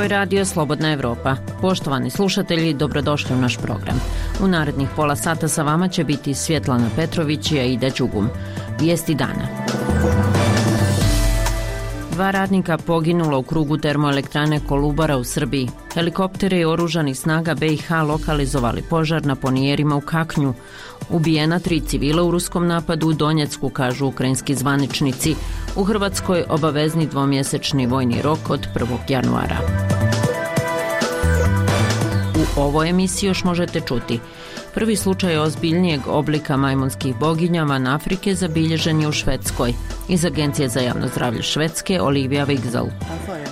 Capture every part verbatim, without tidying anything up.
je Radio Slobodna Evropa. Poštovani slušatelji, dobrodošli u naš program. U narednih pola sata sa vama će biti Svjetlana Petrović i Aida Đugum. Vijesti dana. Dva radnika poginulo u krugu termoelektrane Kolubara u Srbiji. Helikoptere i oružanih snaga B i H lokalizovali požar na ponijerima u Kaknju. Ubijena tri civila u ruskom napadu u Donjecku, kažu ukrajinski zvaničnici. U Hrvatskoj obavezni dvomjesečni vojni rok od prvog januara. U ovoj emisiji još možete čuti: prvi slučaj ozbiljnijeg oblika majmunskih boginja van Afrike zabilježen je u Švedskoj. Iz Agencije za javno zdravlje Švedske Olivia Wigzell.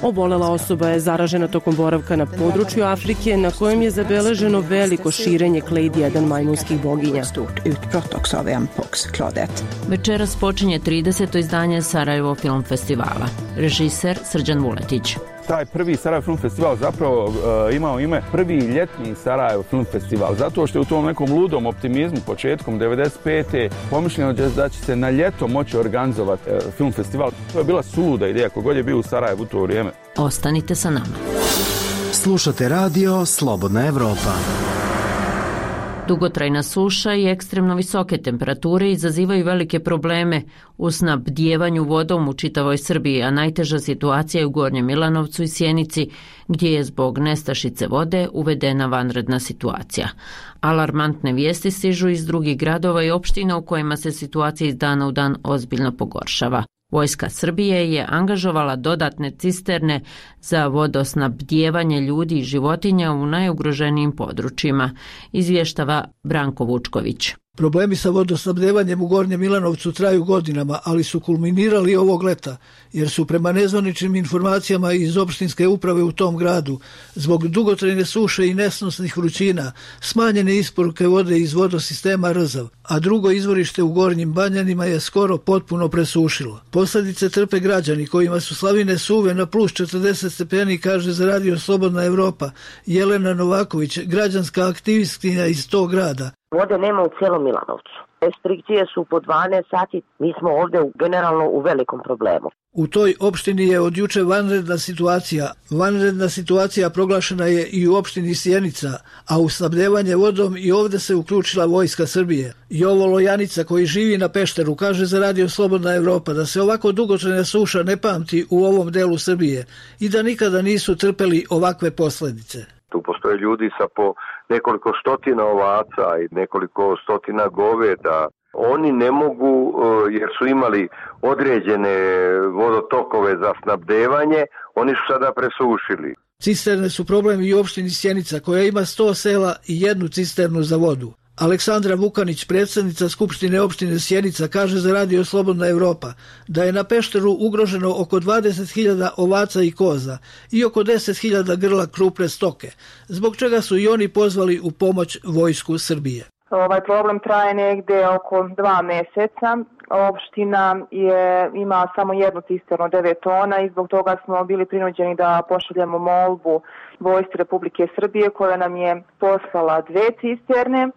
Obolela osoba je zaražena tokom boravka na području Afrike na kojem je zabeleženo veliko širenje Clade jedan majmunskih boginja. Večeras počinje trideseto izdanje Sarajevo film festivala. Režiser Srđan Vuletić. Taj prvi Sarajevo film festival zapravo uh, imao ime prvi ljetni Sarajevo film festival, zato što je u tom nekom ludom optimizmu početkom devedeset pete pomišljeno da će se na ljeto moći organizovati uh, film festival. To je bila suluda ideja kogod je bio u Sarajevu u to vrijeme. Ostanite sa nama. Slušate radio Slobodna Evropa. Dugotrajna suša i ekstremno visoke temperature izazivaju velike probleme u snabdijevanju vodom u čitavoj Srbiji, a najteža situacija je u Gornjem Milanovcu i Sjenici, gdje je zbog nestašice vode uvedena vanredna situacija. Alarmantne vijesti stižu iz drugih gradova i opština u kojima se situacija iz dana u dan ozbiljno pogoršava. Vojska Srbije je angažovala dodatne cisterne za vodosnabdijevanje ljudi i životinja u najugroženijim područjima, izvještava Branko Vučković. Problemi sa vodosnabdevanjem u Gornjem Milanovcu traju godinama, ali su kulminirali ovog leta, jer su prema nezvaničnim informacijama iz opštinske uprave u tom gradu, zbog dugotrajne suše i nesnosnih vrućina, smanjene isporuke vode iz vodosistema Rzav, a drugo izvorište u Gornjim Banjanima je skoro potpuno presušilo. Posljedice trpe građani kojima su slavine suve na plus četrdeset stepeni, kaže za Radio Slobodna Evropa Jelena Novaković, građanska aktivistkinja iz tog grada. Vode nema u cijelom Milanovcu. Restrikcije su po dvanaest sati. Mi smo ovdje generalno u velikom problemu. U toj opštini je od juče vanredna situacija. Vanredna situacija proglašena je i u opštini Sjenica, a u snabdevanje vodom i ovdje se uključila Vojska Srbije. Jovo Lojanica, koji živi na Pešteru, kaže za Radio Slobodna Evropa da se ovako dugotrajna suša ne pamti u ovom delu Srbije i da nikada nisu trpeli ovakve posljedice. Tu postoje ljudi sa po nekoliko stotina ovaca i nekoliko stotina goveda. Oni ne mogu, jer su imali određene vodotokove za snabdevanje, oni su sada presušili. Cisterne su problem i u opštini Sjenica, koja ima sto sela i jednu cisternu za vodu. Aleksandra Vukanić, predsjednica Skupštine opštine Sjenica, kaže za Radio Slobodna Evropa da je na Pešteru ugroženo oko dvadeset hiljada ovaca i koza i oko deset hiljada grla krupne stoke, zbog čega su i oni pozvali u pomoć Vojsku Srbije. Ovaj problem traje negde oko dva mjeseca. Opština je, ima samo jednu cisternu devet tona i zbog toga smo bili prinuđeni da pošaljemo molbu Vojsci Republike Srbije koja nam je poslala dve cisterne.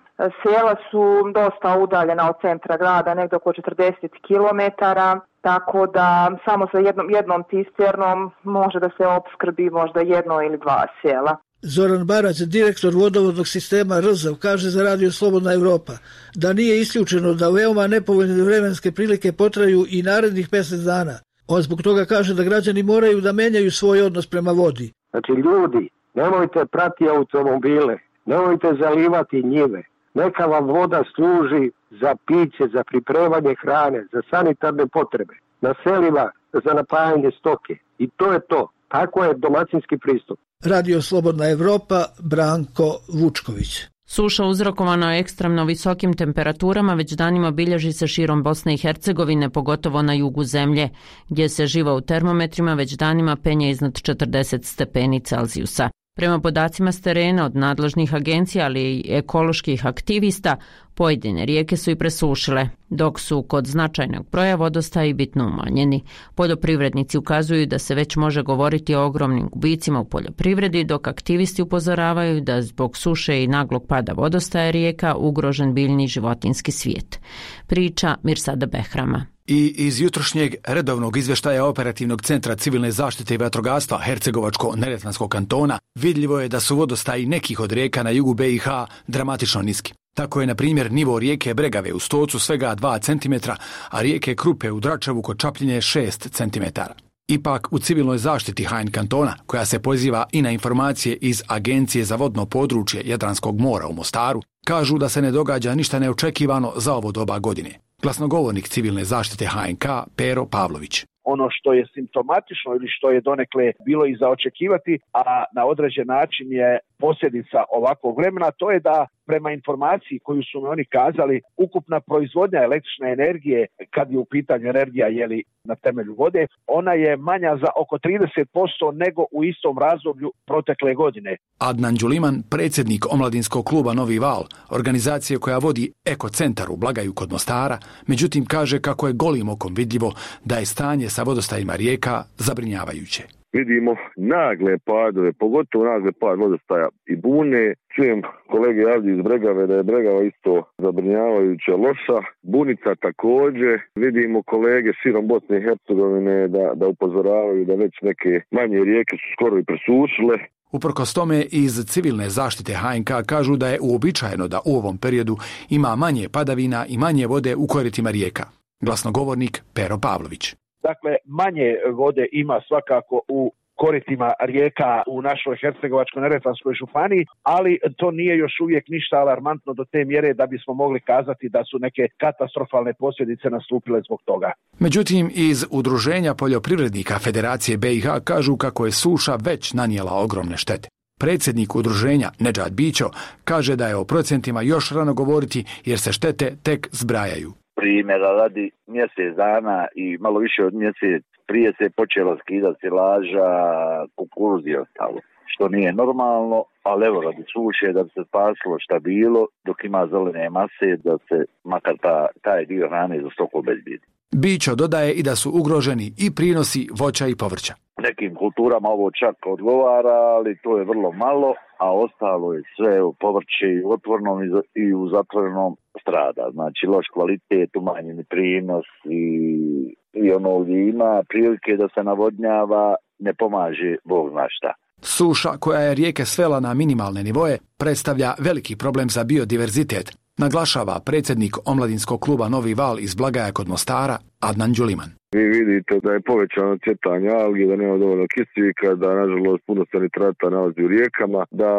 Sela su dosta udaljena od centra grada, negdje oko četrdeset kilometara, tako da samo sa jednom, jednom cisternom može da se opskrbi možda jedno ili dva sela. Zoran Barać, direktor vodovodnog sistema Rzav, kaže za Radio Slobodna Evropa da nije isključeno da veoma nepovoljne vremenske prilike potraju i narednih mjesec dana. On zbog toga kaže da građani moraju da menjaju svoj odnos prema vodi. Znači ljudi, nemojte prati automobile, nemojte zalivati njive. Neka vam voda služi za piće, za pripremanje hrane, za sanitarne potrebe, na selima za napajanje stoke. I to je to. Tako je domaćinski pristup. Radio Slobodna Evropa, Branko Vučković. Suša uzrokovana ekstremno visokim temperaturama već danima bilježi se širom Bosne i Hercegovine, pogotovo na jugu zemlje, gdje se živa u termometrima već danima penje iznad četrdeset stepeni Celzijusa. Prema podacima s terena od nadležnih agencija, ali i ekoloških aktivista, pojedine rijeke su i presušile. dok su kod značajnog broja vodostaji bitno umanjeni. Poljoprivrednici ukazuju da se već može govoriti o ogromnim gubicima u poljoprivredi, dok aktivisti upozoravaju da zbog suše i naglog pada vodostaja rijeka ugrožen biljni i životinjski svijet. Priča Mirsada Behrama. I iz jutrošnjeg redovnog izvještaja Operativnog centra civilne zaštite i vatrogastva Hercegovačko-Neretvanskog kantona vidljivo je da su vodostaji nekih od rijeka na jugu be i ha dramatično niski. Tako je, na primjer, nivo rijeke Bregave u Stocu svega dva centimetra, a rijeke Krupe u Dračevu kod Čapljine šest centimetara. Ipak, u civilnoj zaštiti ha en kantona, koja se poziva i na informacije iz Agencije za vodno područje Jadranskog mora u Mostaru, kažu da se ne događa ništa neočekivano za ovo doba godine. Glasnogovornik civilne zaštite ha en ka Pero Pavlović. Ono što je simptomatično ili što je donekle bilo i za očekivati, a na određen način je posljedica ovakvog vremena, to je da prema informaciji koju su mi oni kazali, ukupna proizvodnja električne energije, kad je u pitanju energija jeli, na temelju vode, ona je manja za oko trideset posto nego u istom razdoblju protekle godine. Adnan Đuliman, predsjednik omladinskog kluba Novi Val, organizacije koja vodi Eko centar u Blagaju kod Mostara, međutim kaže kako je golim okom vidljivo da je stanje sa vodostajima rijeka zabrinjavajuće. Vidimo nagle padove, pogotovo nagle pad vodostaja i Bune. Čujem kolege ovdje iz Bregave da je Bregava isto zabrinjavajuća loša. Bunica također. Vidimo kolege širom Bosne i Hercegovine da, da upozoravaju da već neke manje rijeke su skoro i presušile. Uprkos tome, iz civilne zaštite ha en ka kažu da je uobičajeno da u ovom periodu ima manje padavina i manje vode u koritima rijeka. Glasnogovornik Pero Pavlović. Dakle, manje vode ima svakako u koritima rijeka u našoj Hercegovačko-Neretvanskoj županiji, ali to nije još uvijek ništa alarmantno do te mjere da bismo mogli kazati da su neke katastrofalne posljedice nastupile zbog toga. Međutim, iz Udruženja poljoprivrednika Federacije be i ha kažu kako je suša već nanijela ogromne štete. Predsjednik udruženja Nedžad Bićo kaže da je o procentima još rano govoriti jer se štete tek zbrajaju. Primjera radi, mjesec dana i malo više od mjesec prije se počelo skidati silaža, kukuruz i ostalo, što nije normalno, ali evo radi suše da bi se spasilo šta bilo, dok ima zelene mase, da se makar ta, taj dio hrane za stoku obezbijedi. Bićo dodaje i da su ugroženi i prinosi voća i povrća. Nekim kulturama ovo čak odgovara, ali to je vrlo malo, a ostalo je sve u povrće i u otvornom i u zatvorenom strada. Znači loš kvalitet, umanjeni prinos i, i ono gdje ima prilike da se navodnjava, ne pomaže Bog zna šta. Suša koja je rijeke svela na minimalne nivoje predstavlja veliki problem za biodiverzitet, naglašava predsjednik omladinskog kluba Novi Val iz Blagaja kod Mostara Adnan Đuliman. Vi vidite da je povećano cvjetanje algi, da nema dovoljno kisika, da nažalost puno se nitrata nalazi u rijekama, da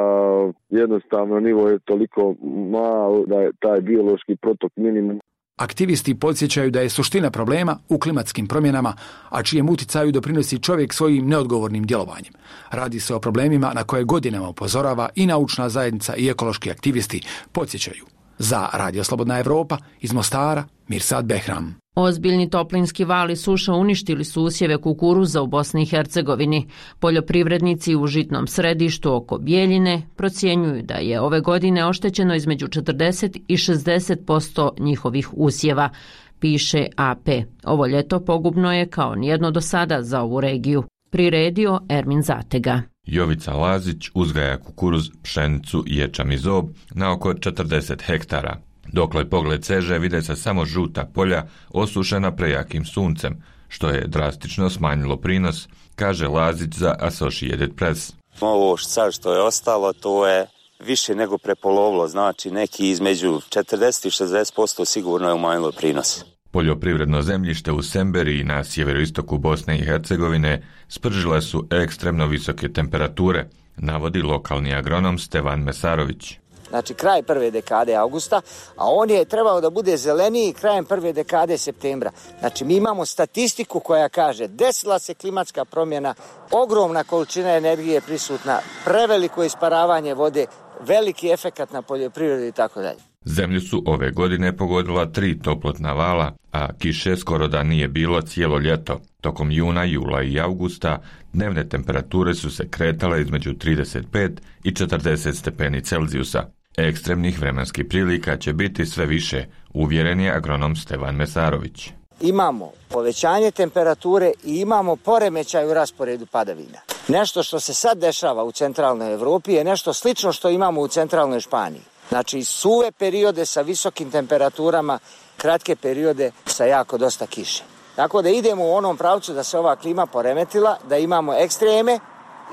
jednostavno nivo je toliko malo da je taj biološki protok minimum. Aktivisti podsjećaju da je suština problema u klimatskim promjenama, a čijem uticaju doprinosi čovjek svojim neodgovornim djelovanjem. Radi se o problemima na koje godinama upozorava i naučna zajednica i ekološki aktivisti, podsjećaju. Za Radio Slobodna Evropa iz Mostara, Mirsad Behram. Ozbiljni toplinski val i suša uništili su usjeve kukuruza u Bosni i Hercegovini. Poljoprivrednici u žitnom središtu oko Bijeljine procjenjuju da je ove godine oštećeno između četrdeset i šezdeset posto njihovih usjeva, piše a pe. Ovo ljeto pogubno je kao nijedno do sada za ovu regiju. Priredio Ermin Zatega. Jovica Lazić uzgaja kukuruz, pšenicu i ječam i zob na oko četrdeset hektara. Dokle pogled seže vide se samo žuta polja osušena prejakim suncem, što je drastično smanjilo prinos, kaže Lazić za Associated Press. Ovo sad što je ostalo, to je više nego prepolovilo, znači neki između četrdeset i šezdeset posto sigurno je umanjilo prinos. Poljoprivredno zemljište u Semberiji na sjeveroistoku Bosne i Hercegovine spržile su ekstremno visoke temperature, navodi lokalni agronom Stevan Mesarović. Znači kraj prve dekade avgusta, a on je trebao da bude zeleniji krajem prve dekade septembra. Znači mi imamo statistiku koja kaže desila se klimatska promjena, ogromna količina energije prisutna, preveliko isparavanje vode, veliki efekat na poljoprivredu i tako dalje. Zemlju su ove godine pogodila tri toplotna vala, a kiše skoro da nije bilo cijelo ljeto. Tokom juna, jula i avgusta dnevne temperature su se kretale između trideset pet i četrdeset stepeni Celzijusa. Ekstremnih vremenskih prilika će biti sve više uvjeren je agronom Stevan Mesarović. Imamo povećanje temperature i imamo poremećaj u rasporedu padavina. Nešto što se sad dešava u centralnoj Evropi je nešto slično što imamo u centralnoj Španiji. Znači suve periode sa visokim temperaturama, kratke periode sa jako dosta kiše. Tako da idemo u onom pravcu da se ova klima poremetila, da imamo ekstreme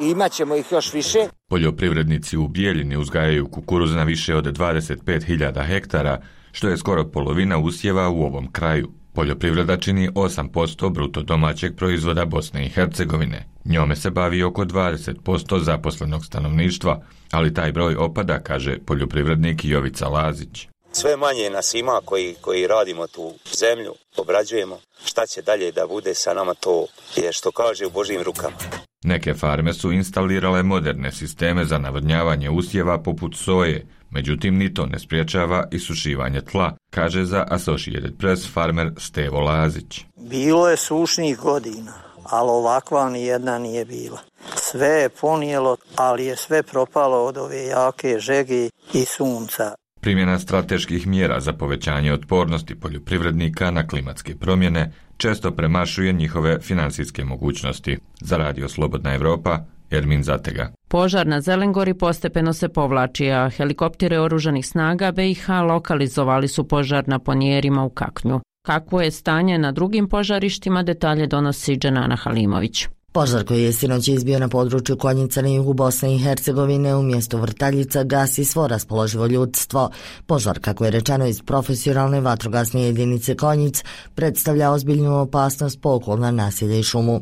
i imat ćemo ih još više. Poljoprivrednici u Bijeljini uzgajaju kukuruz na više od dvadeset pet hiljada hektara, što je skoro polovina usjeva u ovom kraju. Poljoprivreda čini osam posto bruto domaćeg proizvoda Bosne i Hercegovine. Njome se bavi oko dvadeset posto zaposlenog stanovništva, ali taj broj opada, kaže poljoprivrednik Jovica Lazić. Sve manje nas ima koji, koji radimo tu zemlju, obrađujemo. Šta će dalje da bude sa nama, to je što kaže u Božjim rukama. Neke farme su instalirale moderne sisteme za navodnjavanje usjeva poput soje, međutim ni to ne spriječava isušivanje tla, kaže za Associated Press farmer Stevo Lazić. Bilo je sušnih godina, ali ovakva ni jedna nije bila. Sve je ponijelo, ali je sve propalo od ove jake žege i sunca. Primjena strateških mjera za povećanje otpornosti poljoprivrednika na klimatske promjene često premašuje njihove financijske mogućnosti. Za Radio Slobodna Evropa, Ermin Zatega. Požar na Zelengori postepeno se povlači, a helikoptere oružanih snaga B i H lokalizovali su požar na Ponjerima u Kaknju. Kakvo je stanje na drugim požarištima, detalje donosi Dženana Halimović. Požar koji je sinoć izbio na području Konjica na jugu Bosne i Hercegovine u mjestu Vrtaljica gasi svo raspoloživo ljudstvo. Požar, kako je rečeno iz profesionalne vatrogasne jedinice Konjic, predstavlja ozbiljnu opasnost po okolna naselja i šumu.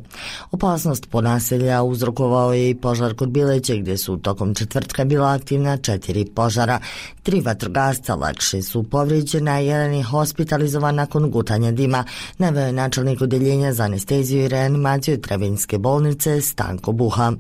Opasnost po naselja uzrokovao je i požar kod Bileće, gdje su tokom četvrtka bila aktivna četiri požara. Tri vatrogasca lakše su povrijeđena, a jedan je hospitalizovan nakon gutanja dima, naveo je načelnik odeljenja za anesteziju i reanimaciju Trebinjske bolnice Stanko Buha.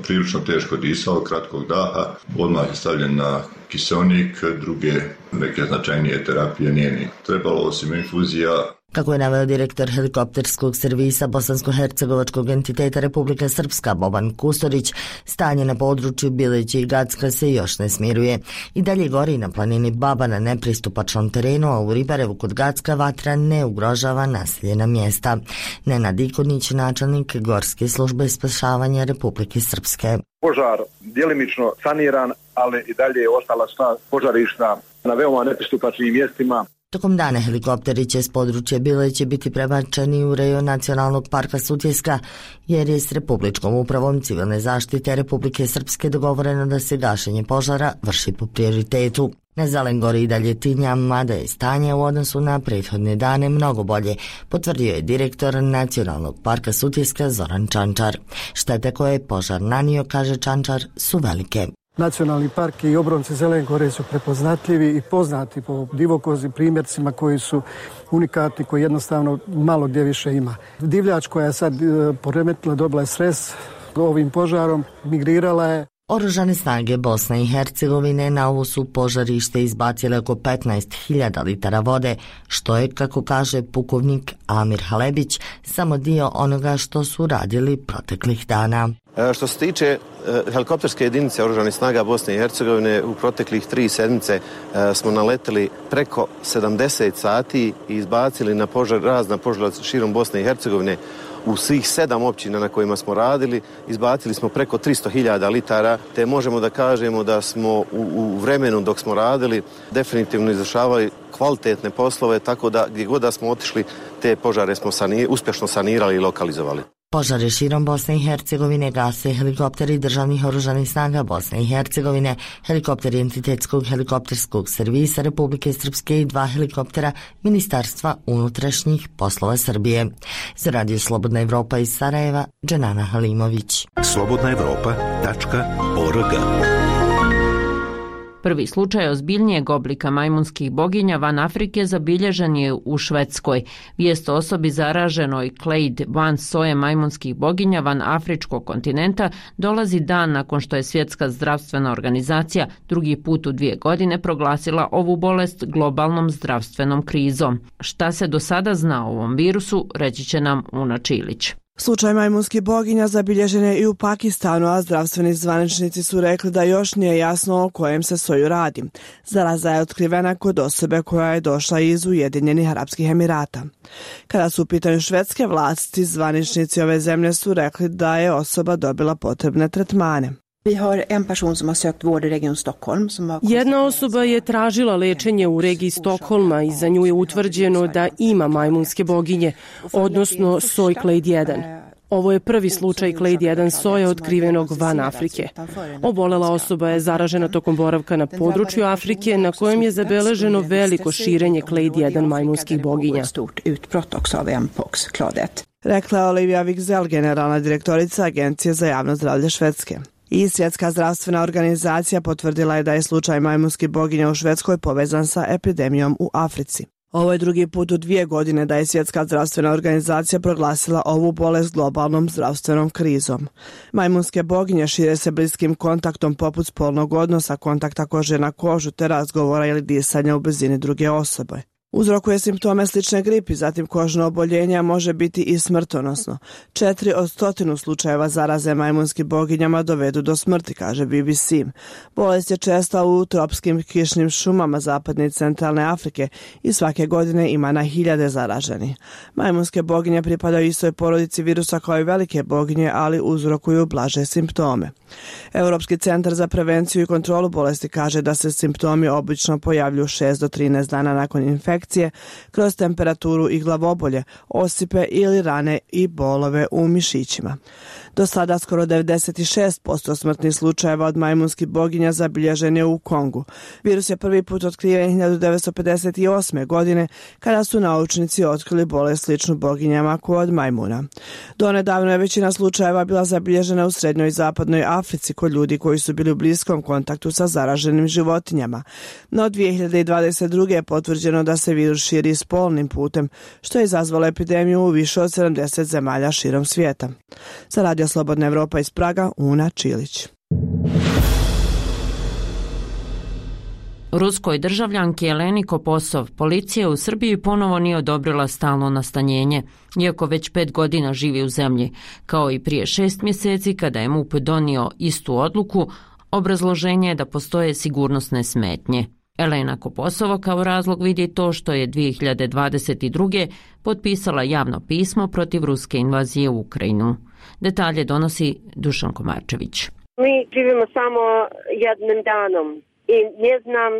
Prilično teško disao, kratkog daha, odmah je stavljen na kiseonik, druge neke značajnije terapije nije ni trebalo osim infuzija. Kako je naveo direktor helikopterskog servisa bosansko-hercegovačkog entiteta Republika Srpska Boban Kustorić, stanje na području Bileće i Gacka se još ne smiruje. I dalje gori na planini Baba na nepristupačnom terenu, a u Ribarevu kod Gacka vatra ne ugrožava naseljena mjesta. Nenad Ikonić, načelnik Gorske službe spašavanja Republike Srpske. Požar djelimično saniran, ali i dalje je ostala sva požarišta na veoma nepristupačnim mjestima. Tokom dana helikopteri će s područja Bileće biti prebačeni u rejon Nacionalnog parka Sutjeska, jer je s Republičkom upravom civilne zaštite Republike Srpske dogovoreno da se gašenje požara vrši po prioritetu. Na Zelengori i dalje tinja, mada je stanje u odnosu na prethodne dane mnogo bolje, potvrdio je direktor Nacionalnog parka Sutjeska Zoran Čančar. Štete koje je požar nanio, kaže Čančar, su velike. Nacionalni park i obronci Zelengore su prepoznatljivi i poznati po divokozim primjercima koji su unikatni, koji jednostavno malo gdje više ima. Divljač koja je sad poremetila, dobila je stres ovim požarom, migrirala je. Oružane snage Bosne i Hercegovine na ovo su požarište izbacile oko petnaest hiljada litara vode, što je, kako kaže pukovnik Amir Halebić, samo dio onoga što su radili proteklih dana. Što se tiče helikopterske jedinice oružanih snaga Bosne i Hercegovine, u proteklih tri sedmice smo naleteli preko sedamdeset sati i izbacili na požar, razna požara širom Bosne i Hercegovine. U svih sedam općina na kojima smo radili izbacili smo preko tristo hiljada litara, te možemo da kažemo da smo u, u vremenu dok smo radili definitivno izvršavali kvalitetne poslove, tako da gdje god da smo otišli te požare smo sanir, uspješno sanirali i lokalizovali. Požare širom Bosne i Hercegovine gase helikopteri državnih oružanih snaga Bosne i Hercegovine, helikopteri entitetskog helikopterskog servisa Republike Srpske i dva helikoptera Ministarstva unutrašnjih poslova Srbije. Za Radio Slobodna Evropa iz Sarajeva, Dženana Halimović. slobodna evropa tačka org. Prvi slučaj ozbiljnijeg oblika majmunskih boginja van Afrike zabilježen je u Švedskoj. Vijest o osobi zaraženoj Clade van soje majmunskih boginja van afričkog kontinenta dolazi dan nakon što je Svjetska zdravstvena organizacija drugi put u dvije godine proglasila ovu bolest globalnom zdravstvenom krizom. Šta se do sada zna o ovom virusu, reći će nam Una Čilić. Slučaj majmunskih boginja zabilježen je i u Pakistanu, a zdravstveni zvaničnici su rekli da još nije jasno o kojem se soju radi. Zaraza je otkrivena kod osobe koja je došla iz Ujedinjenih Arapskih Emirata. Kada su u pitanju švedske vlasti, zvaničnici ove zemlje su rekli da je osoba dobila potrebne tretmane. Jedna osoba je tražila lečenje u regiji Stokholma i za nju je utvrđeno da ima majmunske boginje, odnosno soj Clade jedan. Ovo je prvi slučaj Clade jedan soja otkrivenog van Afrike. Obolela osoba je zaražena tokom boravka na području Afrike na kojem je zabeleženo veliko širenje Clade jedan majmunskih boginja. Rekla je Olivia Wigzell, generalna direktorica Agencije za javno zdravlje Švedske. I Svjetska zdravstvena organizacija potvrdila je da je slučaj majmunskih boginja u Švedskoj povezan sa epidemijom u Africi. Ovo je drugi put u dvije godine da je Svjetska zdravstvena organizacija proglasila ovu bolest globalnom zdravstvenom krizom. Majmunske boginje šire se bliskim kontaktom poput spolnog odnosa, kontakta kože na kožu te razgovora ili disanja u blizini druge osobe. Uzrokuje simptome slične gripi, zatim kožno oboljenje može biti i smrtonosno. Četiri od stotinu slučajeva zaraze majmunskim boginjama dovedu do smrti, kaže B B C. Bolest je česta u tropskim kišnim šumama zapadne i centralne Afrike i svake godine ima na hiljade zaraženih. Majmunske boginje pripadaju istoj porodici virusa kao i velike boginje, ali uzrokuju blaže simptome. Europski centar za prevenciju i kontrolu bolesti kaže da se simptomi obično pojavljuju šest do trinaest dana nakon infekcije kroz temperaturu i glavobolje, osipe ili rane i bolove u mišićima. Do sada skoro devedeset šest posto smrtnih slučajeva od majmunskih boginja zabilježen je u Kongu. Virus je prvi put otkriven hiljadu devetsto pedeset osme. godine kada su naučnici otkrili bolest sličnu boginjama kod majmuna. Donedavno je većina slučajeva bila zabilježena u srednjoj i zapadnoj Africi kod ljudi koji su bili u bliskom kontaktu sa zaraženim životinjama. No dvije hiljade dvadeset druge. je potvrđeno da se virus širi spolnim putem, što je izazvalo epidemiju u više od sedamdeset zemalja širom svijeta. Za Radio Slobodna Evropa iz Praga, Una Čilić. Ruskoj državljanki Eleni Koposov policija u Srbiji ponovo nije odobrila stalno nastanjenje, iako već pet godina živi u zemlji, kao i prije šest mjeseci kada je M U P donio istu odluku. Obrazloženje je da postoje sigurnosne smetnje. Elena Koposova kao razlog vidi to što je dvije hiljade dvadeset druge. potpisala javno pismo protiv ruske invazije u Ukrajinu. Detalje donosi Dušan Komarčević. Mi živimo samo jednim danom i ne znam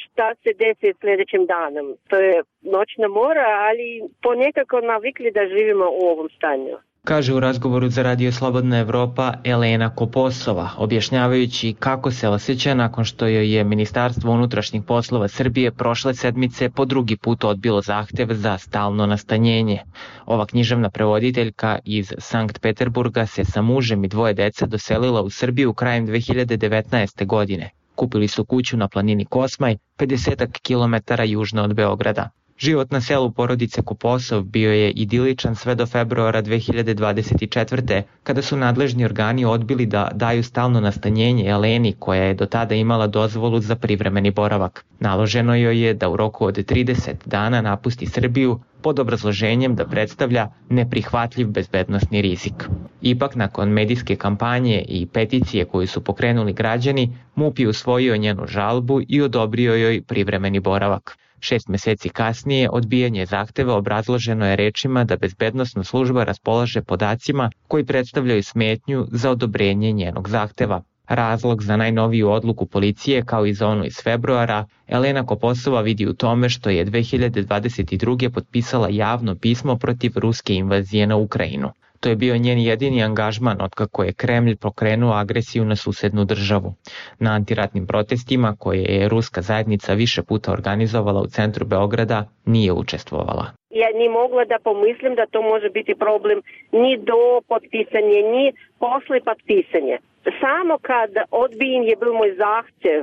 šta se desi sljedećim danom. To je noćna mora, ali ponekako navikli da živimo u ovom stanju. Kaže u razgovoru za Radio Slobodna Evropa Elena Koposova, objašnjavajući kako se osjeća nakon što joj je Ministarstvo unutrašnjih poslova Srbije prošle sedmice po drugi put odbilo zahtev za stalno nastanjenje. Ova književna prevoditeljka iz Sankt Peterburga se sa mužem i dvoje dece doselila u Srbiju krajem dve hiljade devetnaeste. godine. Kupili su kuću na planini Kosmaj, pedeset kilometara južno od Beograda. Život na selu porodice Koposov bio je idiličan sve do februara dve hiljade dvadeset četvrte. kada su nadležni organi odbili da daju stalno nastanjenje Eleni koja je do tada imala dozvolu za privremeni boravak. Naloženo joj je da u roku od trideset dana napusti Srbiju pod obrazloženjem da predstavlja neprihvatljiv bezbednosni rizik. Ipak, nakon medijske kampanje i peticije koju su pokrenuli građani, M U P je usvojio njenu žalbu i odobrio joj privremeni boravak. Šest mjeseci kasnije odbijanje zahteva obrazloženo je rečima da bezbednosna služba raspolaže podacima koji predstavljaju smetnju za odobrenje njenog zahteva. Razlog za najnoviju odluku policije, kao i za onu iz februara, Elena Koposova vidi u tome što je dve hiljade dvadeset druge. potpisala javno pismo protiv ruske invazije na Ukrajinu. To je bio njen jedini angažman otkako je Kremlj pokrenuo agresiju na susednu državu. Na antiratnim protestima, koje je ruska zajednica više puta organizovala u centru Beograda, nije učestvovala. Ja ni mogla da pomislim da to može biti problem ni do potpisanja, ni posle potpisanja. Samo kad odbijen je bil moj zahtjev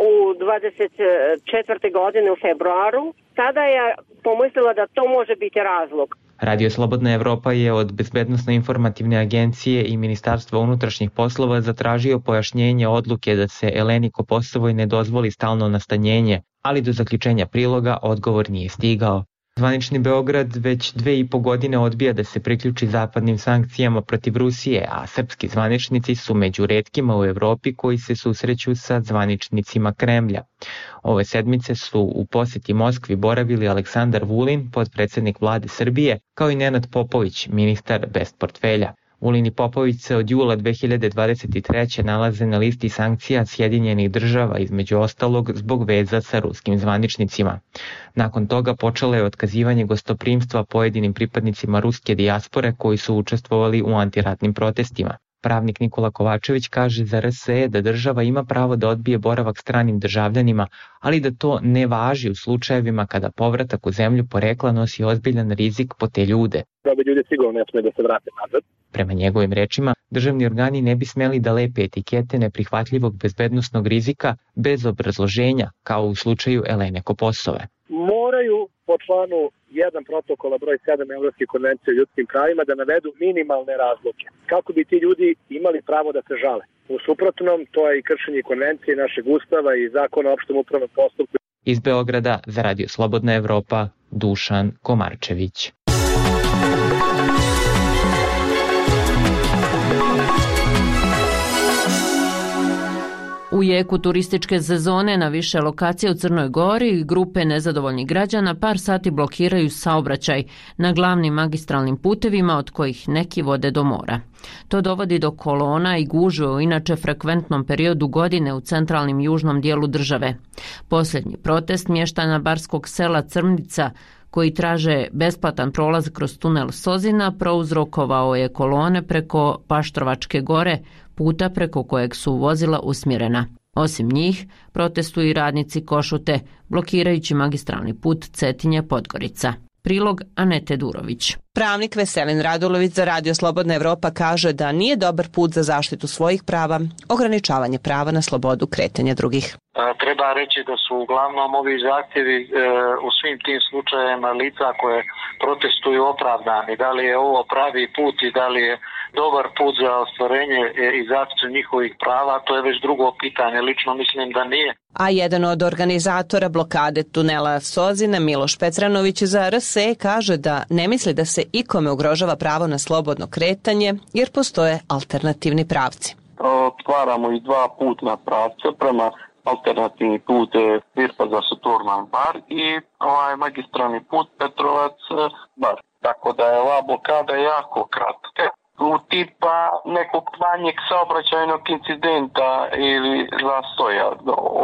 u dvadeset četvrte. godine u februaru, tada je pomislila da to može biti razlog. Radio Slobodna Evropa je od Bezbednosno-informativne agencije i Ministarstva unutrašnjih poslova zatražio pojašnjenje odluke da se Eleni Koposovoj ne dozvoli stalno nastanjenje, ali do zaključenja priloga odgovor nije stigao. Zvanični Beograd već dve i po godine odbija da se priključi zapadnim sankcijama protiv Rusije, a srpski zvaničnici su među retkima u Evropi koji se susreću sa zvaničnicima Kremlja. Ove sedmice su u poseti Moskvi boravili Aleksandar Vulin, potpredsednik vlade Srbije, kao i Nenad Popović, ministar bez portfelja. Vulin i Popović se od jula dve hiljade dvadeset treće nalaze na listi sankcija Sjedinjenih država, između ostalog zbog veza sa ruskim zvaničnicima. Nakon toga počelo je otkazivanje gostoprimstva pojedinim pripadnicima ruske dijaspore koji su učestvovali u antiratnim protestima. Pravnik Nikola Kovačević kaže za R S E da država ima pravo da odbije boravak stranim državljanima, ali da to ne važi u slučajevima kada povratak u zemlju porekla nosi ozbiljan rizik po te ljude. Da bi ljudi sigurno ne smije da se vrate nazad. Prema njegovim rečima, državni organi ne bi smeli da lepe etikete neprihvatljivog bezbednosnog rizika bez obrazloženja, kao u slučaju Elene Koposove. Moraju po članu jedan protokola broj sedam Evropske konvencije o ljudskim pravima da navedu minimalne razloge, kako bi ti ljudi imali pravo da se žale. U suprotnom, to je i kršenje konvencije našeg ustava i zakona o opštem upravnom postupku. Iz Beograda za Radio Slobodna Evropa, Dušan Komarčević. U jeku turističke sezone na više lokacija u Crnoj Gori grupe nezadovoljnih građana par sati blokiraju saobraćaj na glavnim magistralnim putevima od kojih neki vode do mora. To dovodi do kolona i gužve u inače frekventnom periodu godine u centralnim južnom dijelu države. Posljednji protest mještana barskog sela Crnica koji traže besplatan prolaz kroz tunel Sozina prouzrokovao je kolone preko Paštrovačke gore, puta preko kojeg su vozila usmjerena. Osim njih, protestuju i radnici Košute, blokirajući magistralni put Cetinje-Podgorica. Prilog Anete Durović. Pravnik Veselin Radulović za Radio Slobodna Evropa kaže da nije dobar put za zaštitu svojih prava, ograničavanje prava na slobodu kretanja drugih. Treba reći da su uglavnom ovi zahtjevi e, u svim tim slučajevima lica koje protestuju opravdani. Da li je ovo pravi put i da li je dobar put za ostvarenje i zaštitu njihovih prava, to je već drugo pitanje. Lično mislim da nije. A jedan od organizatora blokade tunela Sozina, Miloš Petranović za R S E kaže da ne misli da se ikome ugrožava pravo na slobodno kretanje jer postoje alternativni pravci. Otvaramo i dva putna pravca prema alternativni put Virpa za Saturnan bar i ovaj magistralni put Petrovac bar. Tako da je ova blokada jako kratka. U tipa nekog manjeg saobraćajnog incidenta ili zastoja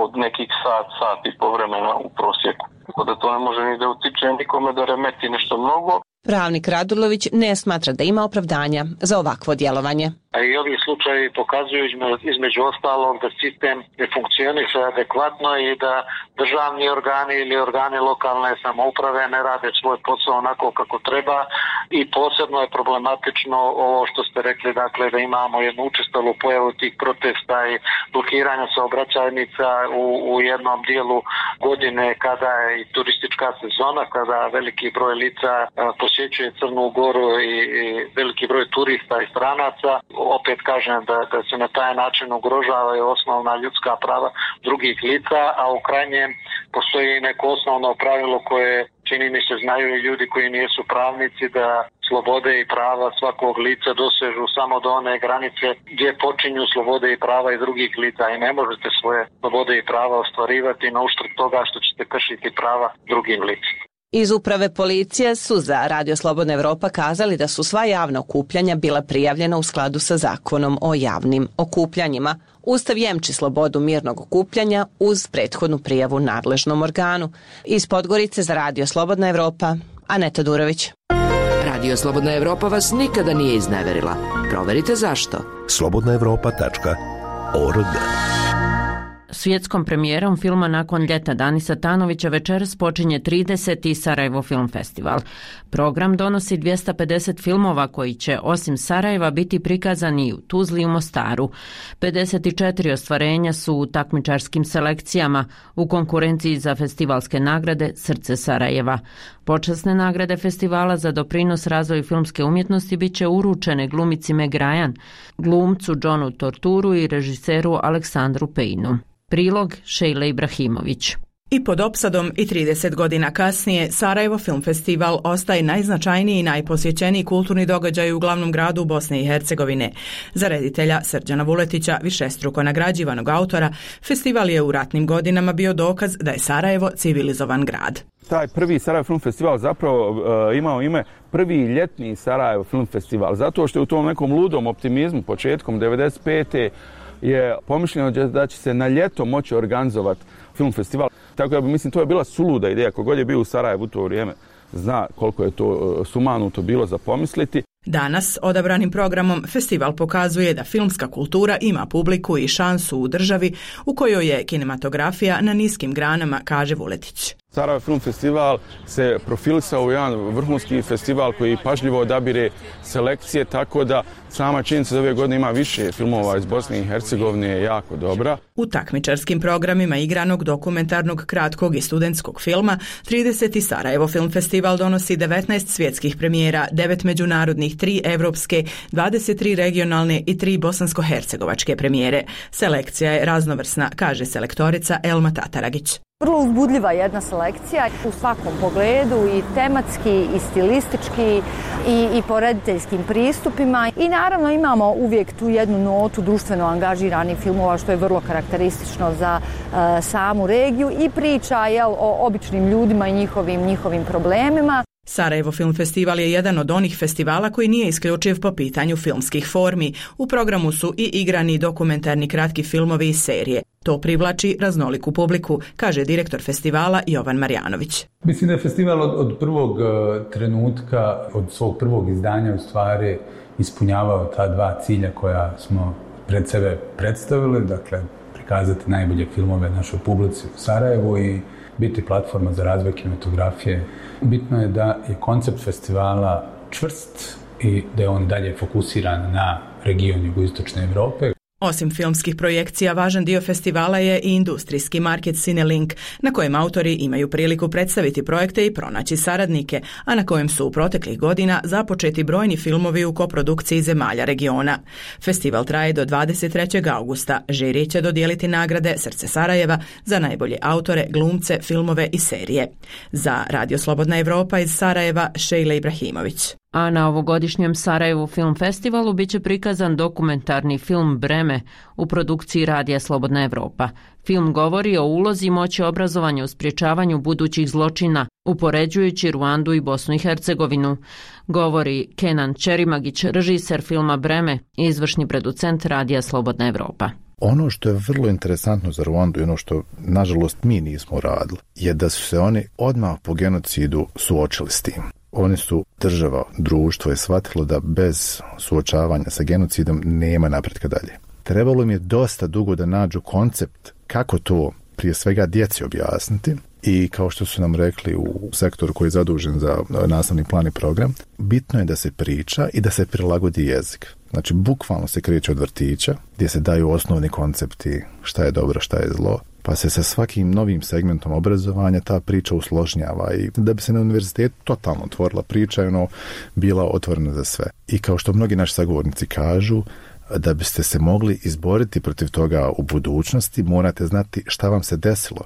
od nekih sat, sat i po vremena u prosjeku. Tako da to ne može ni da utiče nikome da remeti nešto mnogo. Pravnik Radulović ne smatra da ima opravdanja za ovakvo djelovanje. A i ovi slučajevi pokazuju između ostalog da sistem ne funkcioniše adekvatno i da državni organi ili organi lokalne samouprave ne rade svoj posao onako kako treba i posebno je problematično ovo što ste rekli, dakle da imamo jednu učestalu pojavu tih protesta i blokiranja saobraćajnica u, u jednom dijelu godine kada je i turistička sezona, kada veliki broj lica posjećuje Crnu Goru i, i veliki broj turista i stranaca. Opet kažem da, da se na taj način ugrožavaju osnovna ljudska prava drugih lica, a u krajnjem postoji neko osnovno pravilo koje čini mi se znaju i ljudi koji nisu pravnici, da slobode i prava svakog lica dosežu samo do one granice gdje počinju slobode i prava i drugih lica i ne možete svoje slobode i prava ostvarivati na uštrb toga što ćete kršiti prava drugim licima. Iz uprave policije su za Radio Slobodna Evropa kazali da su sva javna okupljanja bila prijavljena u skladu sa zakonom o javnim okupljanjima. Ustav jemči slobodu mirnog okupljanja uz prethodnu prijavu nadležnom organu. Iz Podgorice za Radio Slobodna Evropa, Aneta Durović. Radio Slobodna Evropa vas nikada nije izneverila. Proverite zašto. slobodna evropa tačka org. Svjetskom premijerom filma Nakon ljeta Danisa Tanovića večeras počinje trideseti Sarajevo Film Festival. Program donosi dvjesto pedeset filmova koji će osim Sarajeva biti prikazani u Tuzli i u Mostaru. pedeset četiri ostvarenja su u takmičarskim selekcijama u konkurenciji za festivalske nagrade Srce Sarajeva. Počasne nagrade festivala za doprinos razvoju filmske umjetnosti bit će uručene glumici Meg Ryan, glumcu Johnu Torturu i režiseru Aleksandru Pejnu. Prilog Šejle Ibrahimović. I pod opsadom i trideset godina kasnije, Sarajevo Film Festival ostaje najznačajniji i najposjećeniji kulturni događaj u glavnom gradu Bosne i Hercegovine. Za reditelja Srđana Vuletića, višestruko nagrađivanog autora, festival je u ratnim godinama bio dokaz da je Sarajevo civilizovan grad. Taj prvi Sarajevo Film Festival zapravo uh, imao ime prvi ljetni Sarajevo Film Festival, zato što je u tom nekom ludom optimizmu početkom devedeset pete je pomišljeno da će se na ljeto moći organizovati film festival. Tako da mislim to je bila suluda ideja, kogod je bio u Sarajevu u to vrijeme zna koliko je to sumanuto bilo za pomisliti. Danas, odabranim programom, festival pokazuje da filmska kultura ima publiku i šansu u državi u kojoj je kinematografija na niskim granama, kaže Vuletić. Sarajevo Film Festival se profilisao u jedan vrhunski festival koji pažljivo odabire selekcije, tako da sama činjenica da ove godine ima više filmova iz Bosne i Hercegovine je jako dobra. U takmičarskim programima igranog, dokumentarnog, kratkog i studentskog filma, trideseti Sarajevo Film Festival donosi devetnaest svjetskih premijera, devet međunarodnih, tri evropske, dvadeset tri regionalne i tri bosansko-hercegovačke premijere. Selekcija je raznovrsna, kaže selektorica Elma Tataragić. Vrlo uzbudljiva jedna selekcija u svakom pogledu, i tematski, i stilistički, i, i po rediteljskim pristupima. I naravno imamo uvijek tu jednu notu društveno angažiranih filmova, što je vrlo karakteristično za uh, samu regiju, i priča jel, o običnim ljudima i njihovim, njihovim problemima. Sarajevo Film Festival je jedan od onih festivala koji nije isključiv po pitanju filmskih formi. U programu su i igrani dokumentarni kratki filmovi i serije. To privlači raznoliku publiku, kaže direktor festivala Jovan Marjanović. Mislim da je festival od, od prvog trenutka, od svog prvog izdanja u stvari ispunjavao ta dva cilja koja smo pred sebe predstavili, dakle prikazati najbolje filmove našoj publici u Sarajevu i biti platforma za razvoj kinematografije. Bitno je da je koncept festivala čvrst i da je on dalje fokusiran na region jugoistočne Evrope. Osim filmskih projekcija, važan dio festivala je i industrijski market Cinelink, na kojem autori imaju priliku predstaviti projekte i pronaći saradnike, a na kojem su u proteklih godina započeti brojni filmovi u koprodukciji zemalja regiona. Festival traje do dvadeset trećeg augusta. Žiri će dodijeliti nagrade Srce Sarajeva za najbolje autore, glumce, filmove i serije. Za Radio Slobodna Evropa iz Sarajeva, Šejla Ibrahimović. A na ovogodišnjem Sarajevu Film Festivalu biće prikazan dokumentarni film Breme u produkciji Radija Slobodna Evropa. Film govori o ulozi i moći obrazovanja u sprječavanju budućih zločina, upoređujući Ruandu i Bosnu i Hercegovinu. Govori Kenan Čerimagić, režiser filma Breme i izvršni producent Radija Slobodna Evropa. Ono što je vrlo interesantno za Ruandu i ono što, nažalost, mi nismo radili, je da su se oni odmah po genocidu suočili s tim. Oni su, država, društvo je shvatilo da bez suočavanja sa genocidom nema napretka dalje. Trebalo im je dosta dugo da nađu koncept kako to prije svega djeci objasniti i kao što su nam rekli u sektoru koji je zadužen za nastavni plan i program, bitno je da se priča i da se prilagodi jezik. Znači, bukvalno se kreće od vrtića gdje se daju osnovni koncepti šta je dobro, šta je zlo, pa se sa svakim novim segmentom obrazovanja ta priča usložnjava i da bi se na univerzitetu totalno otvorila priča i ono bila otvorena za sve. I kao što mnogi naši sagovornici kažu, da biste se mogli izboriti protiv toga u budućnosti, morate znati šta vam se desilo,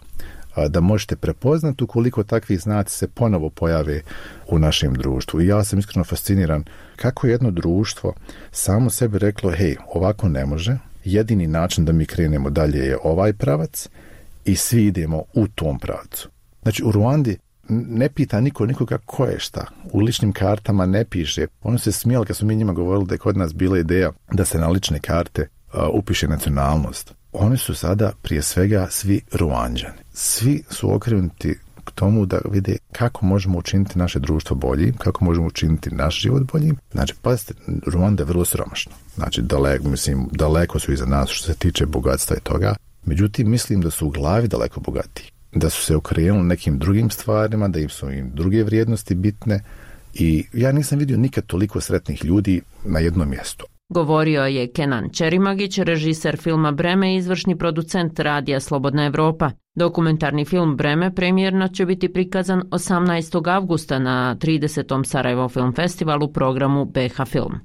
da možete prepoznati ukoliko takvi znaci se ponovo pojave u našem društvu. I ja sam iskreno fasciniran kako jedno društvo samo sebi reklo, hej, ovako ne može, jedini način da mi krenemo dalje je ovaj pravac i svi idemo u tom pravcu. Znači, u Ruandi ne pita niko nikoga ko je šta. U ličnim kartama ne piše. Ono se smijelo kad smo mi njima govorili da je kod nas bila ideja da se na lične karte uh, upiše nacionalnost. Oni su sada prije svega svi Ruanđani. Svi su okrenuti k tomu da vide kako možemo učiniti naše društvo boljim, kako možemo učiniti naš život boljim. Znači, pazite, Ruanda je vrlo siromašna. Znači, daleko, mislim, daleko su iza nas što se tiče bogatstva i toga. Međutim, mislim da su u glavi daleko bogatiji. Da su se okrenuli nekim drugim stvarima, da im su im druge vrijednosti bitne i ja nisam vidio nikad toliko sretnih ljudi na jednom mjestu. Govorio je Kenan Čerimagić, režiser filma Breme i izvršni producent Radija Slobodna Evropa. Dokumentarni film Breme premijerno će biti prikazan osamnaestog avgusta na tridesetom Sarajevo Film Festivalu programu B H Film.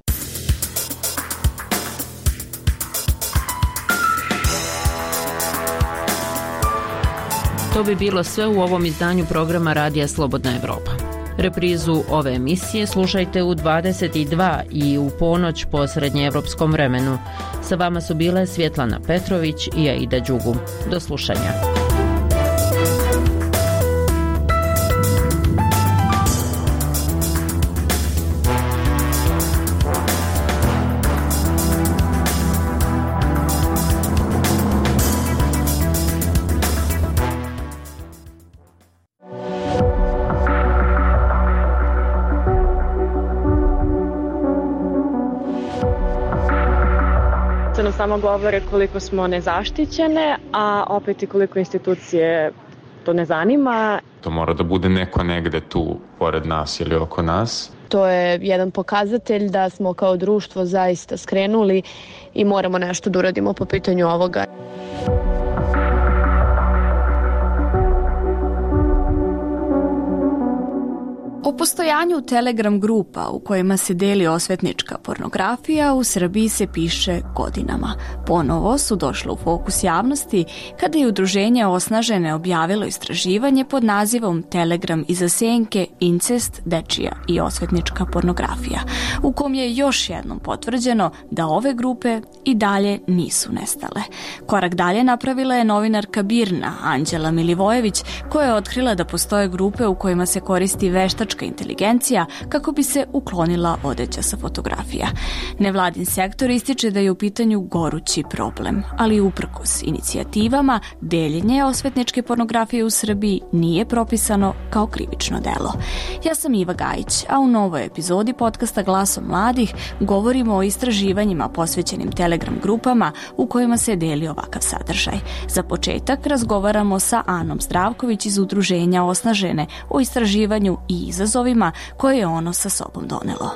To bi bilo sve u ovom izdanju programa Radija Slobodna Evropa. Reprizu ove emisije slušajte u dvadeset dva i u ponoć po srednjeevropskom vremenu. Sa vama su bile Svjetlana Petrović i Aida Đugu. Do slušanja. nam samo govore koliko smo nezaštićene, a opet i koliko institucije to ne zanima. To mora da bude neko negde tu pored nas ili oko nas. To je jedan pokazatelj da smo kao društvo zaista skrenuli i moramo nešto da uradimo po pitanju ovoga. O postojanju Telegram grupa u kojima se deli osvetnička pornografija u Srbiji se piše godinama. Ponovo su došle u fokus javnosti kada je udruženje Osnažene objavilo istraživanje pod nazivom Telegram iza senke, incest, dečija i osvetnička pornografija, u kom je još jednom potvrđeno da ove grupe i dalje nisu nestale. Korak dalje napravila je novinarka Birna Anđela Milivojević, koja je otkrila da postoje grupe u kojima se koristi veštačka inteligencija kako bi se uklonila odeća sa fotografija. Nevladin sektor ističe da je u pitanju gorući problem, ali uprkos inicijativama, deljenje osvetničke pornografije u Srbiji nije propisano kao krivično delo. Ja sam Iva Gajić, a u novoj epizodi podcasta Glasom mladih govorimo o istraživanjima posvećenim Telegram grupama u kojima se deli ovakav sadržaj. Za početak razgovaramo sa Anom Zdravković iz udruženja Osnažene o istraživanju i izazovima koje je ono sa sobom donelo.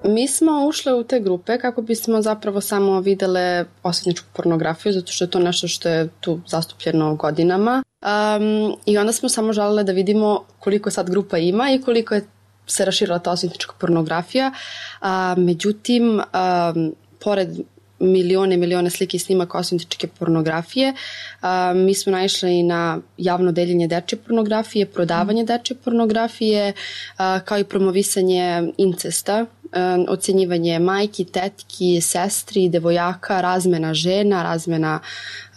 Mi smo ušle u te grupe kako bismo zapravo samo videle osvetničku pornografiju, zato što je to nešto što je tu zastupljeno godinama. Um, I onda smo samo želele da vidimo koliko sad grupa ima i koliko je se raširila ta osvetnička pornografija. Uh, međutim, um, pored milione, milione slike i snimaka osvetničke pornografije. A, mi smo naišli i na javno deljenje dečje pornografije, prodavanje dečje pornografije, a, kao i promovisanje incesta, a, ocenjivanje majki, tetki, sestri, devojaka, razmena žena, razmena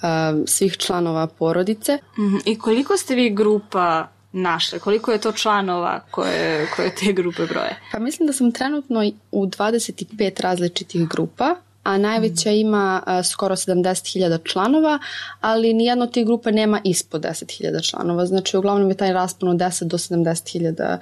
a, svih članova porodice. I koliko ste vi grupa našle? Koliko je to članova koje, koje te grupe broje? Pa mislim da sam trenutno u dvadeset pet različitih grupa, a najveća ima a, skoro sedamdeset hiljada članova, ali nijedna od tih grupa nema ispod deset hiljada članova. Znači, uglavnom je taj raspon od deset do sedamdeset hiljada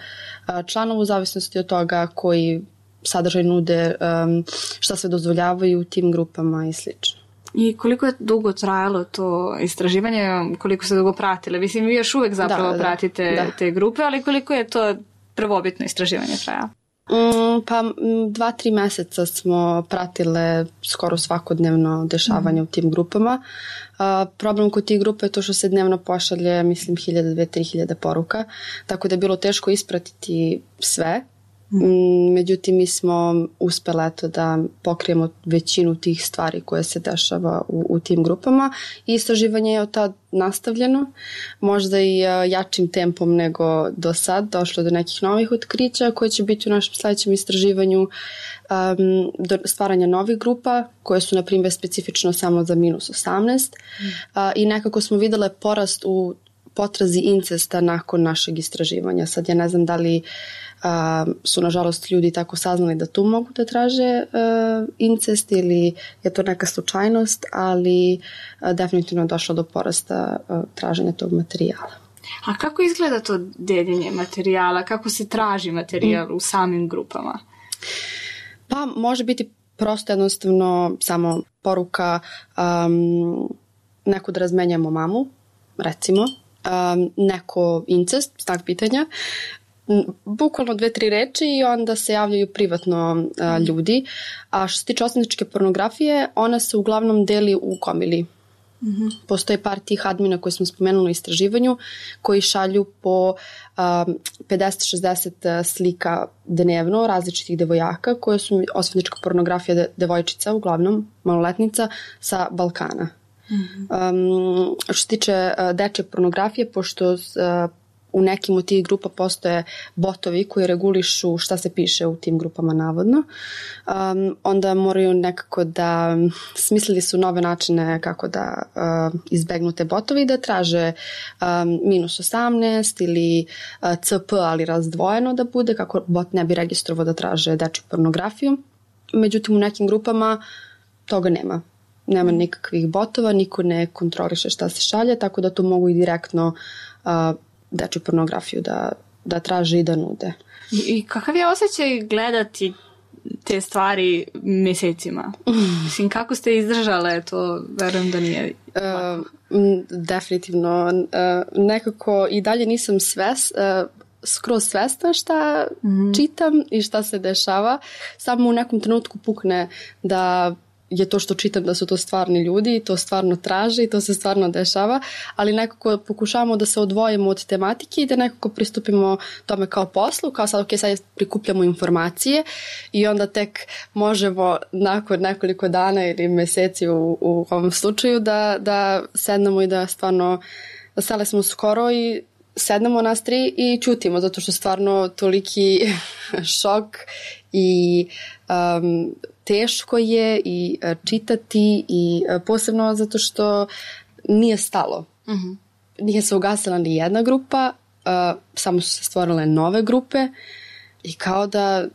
članova u zavisnosti od toga koji sadržaj nude, um, šta sve dozvoljavaju u tim grupama i slično. I koliko je dugo trajalo to istraživanje, koliko ste dugo pratile? Mislim, vi još uvek zapravo da, pratite da, da. te grupe, ali koliko je to prvobitno istraživanje trajalo? Mm, pa dva, tri meseca smo pratile skoro svakodnevno dešavanje mm. u tim grupama. Uh, problem kod tih grupa je to što se dnevno pošalje, mislim, hiljada, dve, tri hiljada poruka, tako da je bilo teško ispratiti sve. Mm. Međutim, mi smo uspjeli eto da pokrijemo većinu tih stvari koje se dešava u, u tim grupama i istraživanje je od tad nastavljeno, možda i jačim tempom nego do sad, došlo do nekih novih otkrića koje će biti u našem sljedećem istraživanju, um, do stvaranja novih grupa koje su na primjer specifično samo za minus osamnaest mm. uh, i nekako smo vidjeli porast u potrazi incesta nakon našeg istraživanja. Sad ja ne znam da li Uh, su nažalost ljudi tako saznali da tu mogu da traže uh, incest ili je to neka slučajnost, ali uh, definitivno je došlo do porasta uh, traženja tog materijala. A kako izgleda to deljenje materijala? Kako se traži materijal mm. u samim grupama? Pa može biti prosto jednostavno samo poruka um, neko da razmenjamo mamu, recimo, um, neko incest, znak pitanja, bukvalno dve, tri reči i onda se javljaju privatno a, ljudi. A što se tiče osvetničke pornografije, ona se uglavnom deli u komili. Mm-hmm. Postoje par tih admina koje smo spomenuli u istraživanju koji šalju po a, pedeset šezdeset slika dnevno različitih devojaka koje su osvetnička pornografija de, devojčica, uglavnom maloletnica sa Balkana. Um, što se tiče uh, dečje pornografije, pošto uh, u nekim od tih grupa postoje botovi koji regulišu šta se piše u tim grupama navodno, um, onda moraju nekako da smislili su nove načine kako da uh, izbegnu te botovi i da traže um, minus osamnaest ili uh, C P, ali razdvojeno da bude, kako bot ne bi registrovao da traže dečju pornografiju. Međutim, u nekim grupama toga nema. Nema nikakvih botova, niko ne kontroliše šta se šalje, tako da tu mogu i direktno uh, dečju pornografiju da, da traže i da nude. I, i kakav je osjećaj gledati te stvari mjesecima? Mislim, kako ste izdržale, to verujem da nije... Uh, definitivno. Uh, nekako i dalje nisam sves, uh, skroz svesna šta mm-hmm. čitam i šta se dešava. Samo u nekom trenutku pukne da je to što čitam da su to stvarni ljudi i to stvarno traže i to se stvarno dešava, ali nekako pokušavamo da se odvojimo od tematike i da nekako pristupimo tome kao poslu, kao sad, ok, sad prikupljamo informacije i onda tek možemo nakon nekoliko dana ili meseci u, u ovom slučaju da, da sednemo i da stvarno, da stale smo skoro i sednemo nas tri i čutimo, zato što stvarno toliki šok i um, teško je i uh, čitati i uh, posebno zato što nije stalo. Uh-huh. Nije se ugasila ni jedna grupa, uh, samo su se stvorile nove grupe i kao da,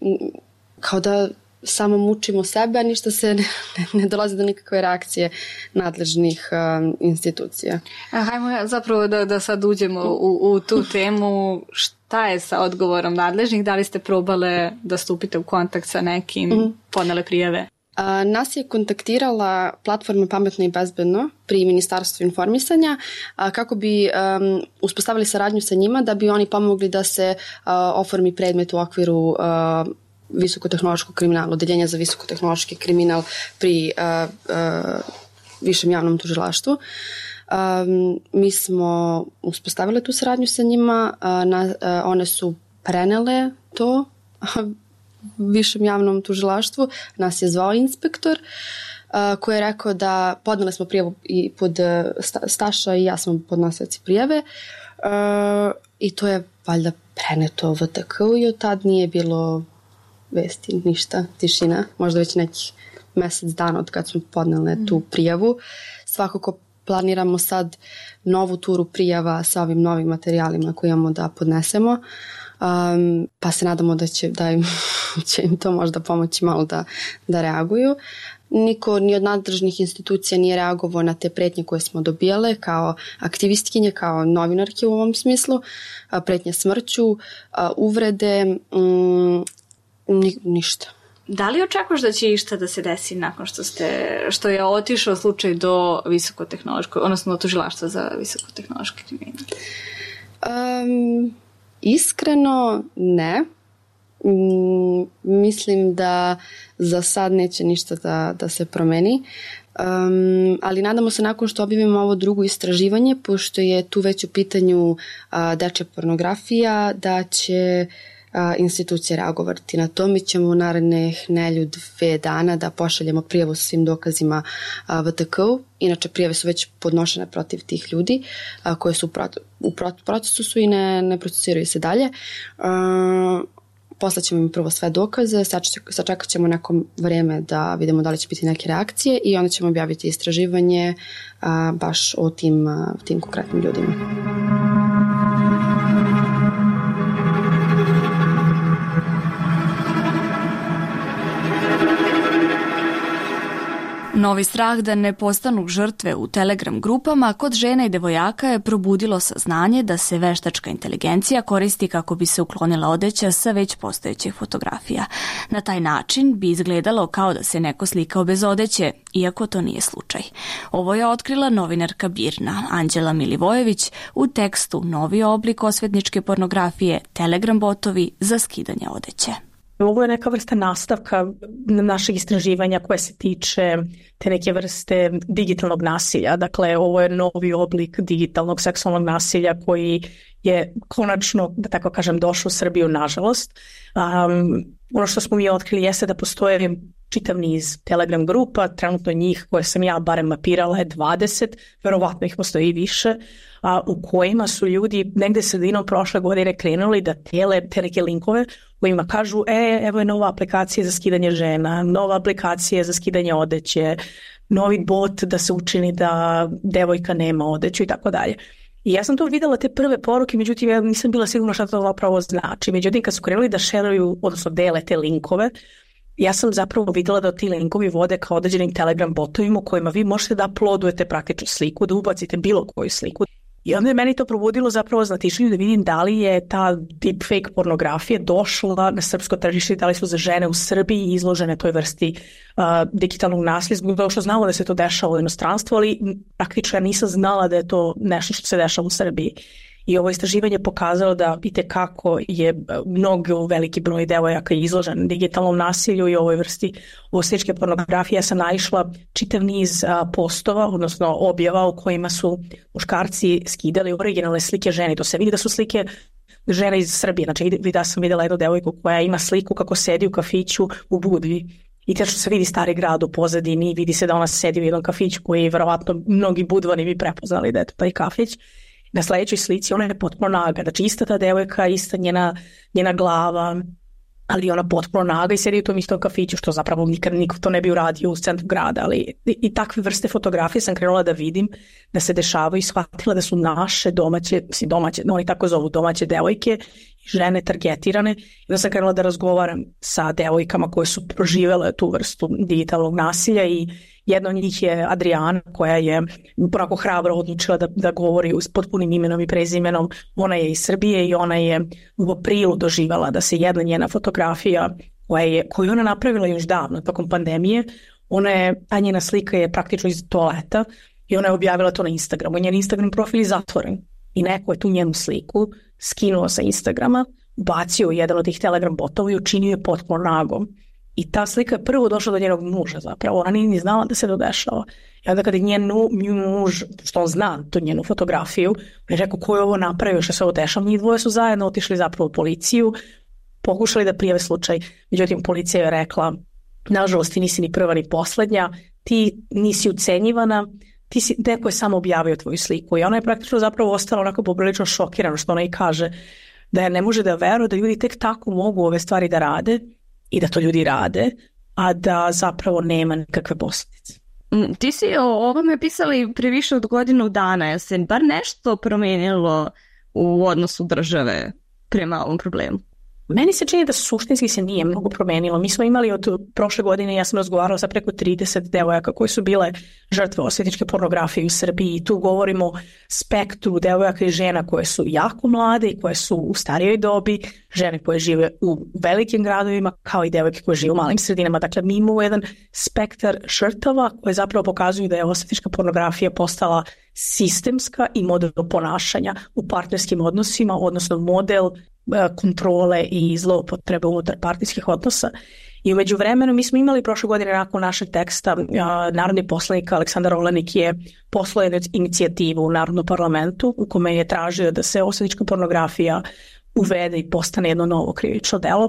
kao da samo mučimo sebe, a ništa se ne, ne dolazi do nikakve reakcije nadležnih um, institucija. A hajmo zapravo da, da sad uđemo u, u tu temu. Šta je sa odgovorom nadležnih? Da li ste probale da stupite u kontakt sa nekim, mm-hmm. podnele prijave? A, nas je kontaktirala platforma Pametno i bezbedno pri Ministarstvu informisanja a, kako bi um, uspostavili saradnju sa njima da bi oni pomogli da se a, oformi predmet u okviru a, visokotehnološkog kriminala, odeljenja za visokotehnološki kriminal pri uh, uh, Višem javnom tužilaštvu. Um, mi smo uspostavili tu saradnju sa njima, uh, na, uh, one su prenele to Višem javnom tužilaštvu, nas je zvao inspektor uh, koji je rekao da podnele smo prijavu i pod uh, Staša i ja smo podnosioci prijave uh, i to je valjda preneto V T K-u i od tad nije bilo vesti, ništa, tišina, možda već nekih mjesec dana od kad smo podneli mm. tu prijavu. Svakako planiramo sad novu turu prijava sa ovim novim materijalima koje imamo da podnesemo, um, pa se nadamo da će, da im, će im to možda pomoći malo da, da reaguju. Niko ni od nadležnih institucija nije reagovao na te pretnje koje smo dobijale kao aktivistkinje, kao novinarke u ovom smislu, pretnje smrću, uvrede, um, Ni, ništa. Da li očekuješ da će išta da se desi nakon što ste, što je otišao slučaj do visokotehnološkog, odnosno do tužilaštva za visokotehnološki kriminal? Um, iskreno ne. Um, mislim da za sad neće ništa da, da se promeni. Um, ali nadamo se nakon što objavimo ovo drugo istraživanje, pošto je tu već u pitanju uh, dečja pornografija, da će institucije reagovati na to. Mi ćemo u narednih nelju dve dana da pošaljemo prijavu sa svim dokazima V T K-u. Inače, prijave su već podnošene protiv tih ljudi koje su u procesu su i ne, ne procesiraju se dalje. Poslaćemo im prvo sve dokaze, sačekat ćemo neko vrijeme da vidimo da li će biti neke reakcije i onda ćemo objaviti istraživanje baš o tim, tim konkretnim ljudima. Novi strah da ne postanu žrtve u Telegram grupama kod žena i devojaka je probudilo saznanje da se veštačka inteligencija koristi kako bi se uklonila odeća sa već postojećih fotografija. Na taj način bi izgledalo kao da se neko slikao bez odeće, iako to nije slučaj. Ovo je otkrila novinarka Birna Anđela Milivojević u tekstu Novi oblik osvetničke pornografije, Telegram botovi za skidanje odeće. Ovo je neka vrsta nastavka našeg istraživanja koje se tiče te neke vrste digitalnog nasilja. Dakle, ovo je novi oblik digitalnog seksualnog nasilja koji je konačno, da tako kažem, došao u Srbiju, nažalost. Um, ono što smo mi otkrili jeste da postoje čitav niz Telegram grupa, trenutno njih koje sam ja barem mapirala je dvadeset, verovatno ih postoji i više, a, u kojima su ljudi negde sredinom prošle godine krenuli da tele te neke linkove kojima kažu e, evo je nova aplikacija za skidanje žena, nova aplikacija za skidanje odeće, novi bot da se učini da devojka nema odeću i tako dalje. I ja sam to videla te prve poruke, međutim ja nisam bila sigurna šta to zapravo znači. Međutim kad su krenuli da šeruju, odnosno dele te linkove, ja sam zapravo videla da ti linkovi vode kao određenim Telegram botovima u kojima vi možete da uploadujete praktičnu sliku, da ubacite bilo koju sliku. I onda je meni to probudilo zapravo znatišljenje da vidim da li je ta deepfake pornografija došla na srpsko tržište, da li su za žene u Srbiji izložene toj vrsti uh, digitalnog nasilja, zbog toga što znamo da se to dešava u inostranstvu, ali praktično ja nisam znala da je to nešto što se dešava u Srbiji. I ovo istraživanje pokazalo da vidite kako je mnogo veliki broj devojaka izložen digitalnom nasilju i ovoj vrsti osječke pornografije. Ja sam naišla čitav niz a, postova, odnosno objava u kojima su muškarci skidali originalne slike žene. To se vidi da su slike žene iz Srbije. Znači da sam vidjela jednu devojku koja ima sliku kako sedi u kafiću u Budvi. I te što se vidi Stari grad u pozadini, vidi se da ona sedi u jednom kafiću koji je verovatno mnogi budvani bi prepoznali da je to taj kafić. Na sljedećoj slici ona je potpuno naga, znači ista ta devojka, ista njena, njena glava, ali ona potpuno naga i sedi u tom istom kafiću, što zapravo nikad niko to ne bi uradio u centru grada, ali i, i takve vrste fotografije sam krenula da vidim da se dešavaju i shvatila da su naše domaće, mislim domaće, no oni tako zovu domaće devojke, žene targetirane, i da sam krenula da razgovaram sa devojkama koje su proživele tu vrstu digitalnog nasilja i jedna od njih je Adriana koja je onako hrabro odlučila da, da govori s potpunim imenom i prezimenom. Ona je iz Srbije i ona je u aprilu doživjela da se jedna njena fotografija koja je, koju ona napravila još davno tokom pandemije, ona je, a njena slika je praktično iz toaleta i ona je objavila to na Instagramu. Njen Instagram profil je zatvoren i neko je tu njenu sliku skinuo sa Instagrama, bacio jedan od tih Telegram botova i učinio je potpuno nagom. I ta slika je prvo došla do njenog muža zapravo, ona nije ni znala da se to dešava. I onda kada je njen muž, što on zna tu njenu fotografiju, je rekao ko je ovo napravio, što se ovo dešava, njih dvoje su zajedno otišli zapravo u policiju, pokušali da prijave slučaj, međutim policija je rekla, nažalost ti nisi ni prva ni poslednja, ti nisi ucenjivana, ti si, neko je samo objavio tvoju sliku i ona je praktično zapravo ostala onako poprilično šokirana, što ona i kaže, da je ne može da veruje da ljudi tek tako mogu ove stvari da rade i da to ljudi rade, a da zapravo nema nikakve posljedice. Ti si o ovome pisali pre više od godinu dana, je se bar nešto promenilo u odnosu države prema ovom problemu? Meni se čini da suštinski se nije mnogo promenilo. Mi smo imali od prošle godine, ja sam razgovarala sa preko trideset devojaka koje su bile žrtve osvetničke pornografije u Srbiji i tu govorimo spektru devojaka i žena koje su jako mlade i koje su u starijoj dobi, žene koje žive u velikim gradovima kao i devojke koje žive u malim sredinama. Dakle, mi imamo jedan spektar žrtava koje zapravo pokazuju da je osvetnička pornografija postala sistemska i model ponašanja u partnerskim odnosima, odnosno model kontrole i zloupotrebe unutar partijskih odnosa. I u međuvremenu mi smo imali prošle godine nakon našeg teksta, narodni poslanik Aleksandar Olenik je poslao inicijativu u Narodnom parlamentu u kome je tražio da se osvetnička pornografija uvede i postane jedno novo krivično delo.